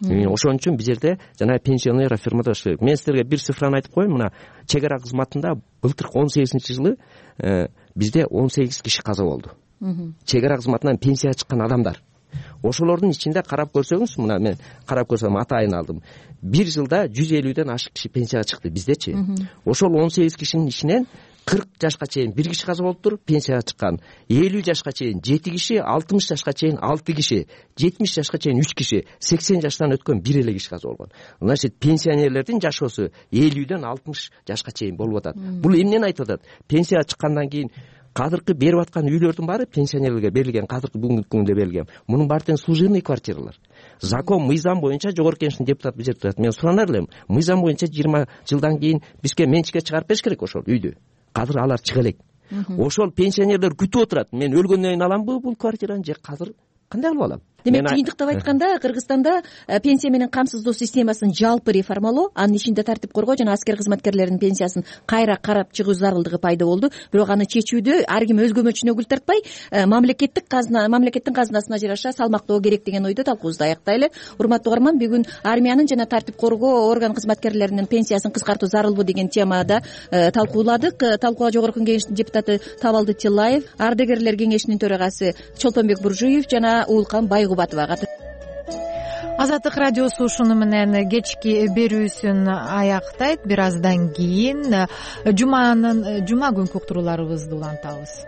Ошон үчүн бул жерде жана пенсионный реформада керек. Мен силерге бир цифраны айтып коеюн. Мына чек ара кызматында былтыркы он сегизинчи жылы бизде он сегиз киши каза болду. Чек ара кызматынан пенсияга чыккан адамдар. Ошолордун ичинде карап көрсөңүз, мына мен карап көрсөм атайын алдым. Бир жылда жүз элүүдөн ашык киши пенсияга чыкты биздечи. Ошол он сегиз кишинин ичинен кырк жашка чейин бир киши каза болуптур, пенсияга чыккан. элүү жашка чейин жети киши, алтымыш жашка чейин алты киши, жетимиш жашка чейин үч киши, сексен жаштан өткөн бир эле киши каза болгон. Значит, пенсионерлердин жашоосу элүүдөн алтымыш жашка чейин болуп атат. Бул эмнени айтып атат? Пенсияга чыккандан кийин кадыркы берип аткан үйлөрдүн баары пенсионерлерге берилген, кадыркы бүгүнкү күндө берилген. Мунун баары тең служебный квартиралар. Закон, мыйзам боюнча жогорку кеңештин депутаты бул жерде турат. Мен суранар элем, мыйзам боюнча жыйырма жылдан кийин бизге менчикке чыгарып бериш керек ошол үйдү. Кадыр алар чыга элек. Ошол пенсионерлер күтүп отурат. Мен өлгөндөн кийин аламбы бул квартираны же кадыр кандай кылып алам? Демек, тыйынтыктап айтканда, Кыргызстанда пенсия менен камсыздоо системасын жалпы реформалоо, анын ичинде тартип коргоо жана аскер кызматкерлеринин пенсиясын кайра карап чыгуу зарылдыгы пайда болду. Бирок аны чечүүдө ар ким өзгөмөчүнө гүл тартпай, мамлекеттик казына, мамлекеттин казынасына жараша салмактоо керек деген ойдо талкуубузду аяктайлы. Урматтуу угарман, бүгүн армиянын жана тартип коргоо орган кызматкерлеринин пенсиясын кыскартуу зарылбы деген темада талкууладык. Талкууга жогорку кеңештин депутаты Табалды Тилаев, ардагерлер кеңешинин төрагасы Чолпонбек Буржуев жана Уулкан Байгубатова катышты. Азаттык радиосу ушуну менен кечки берүүсүн аяктайт. Бир аздан кийин жуманын жума күнкү уктурууларыбызды улантабыз.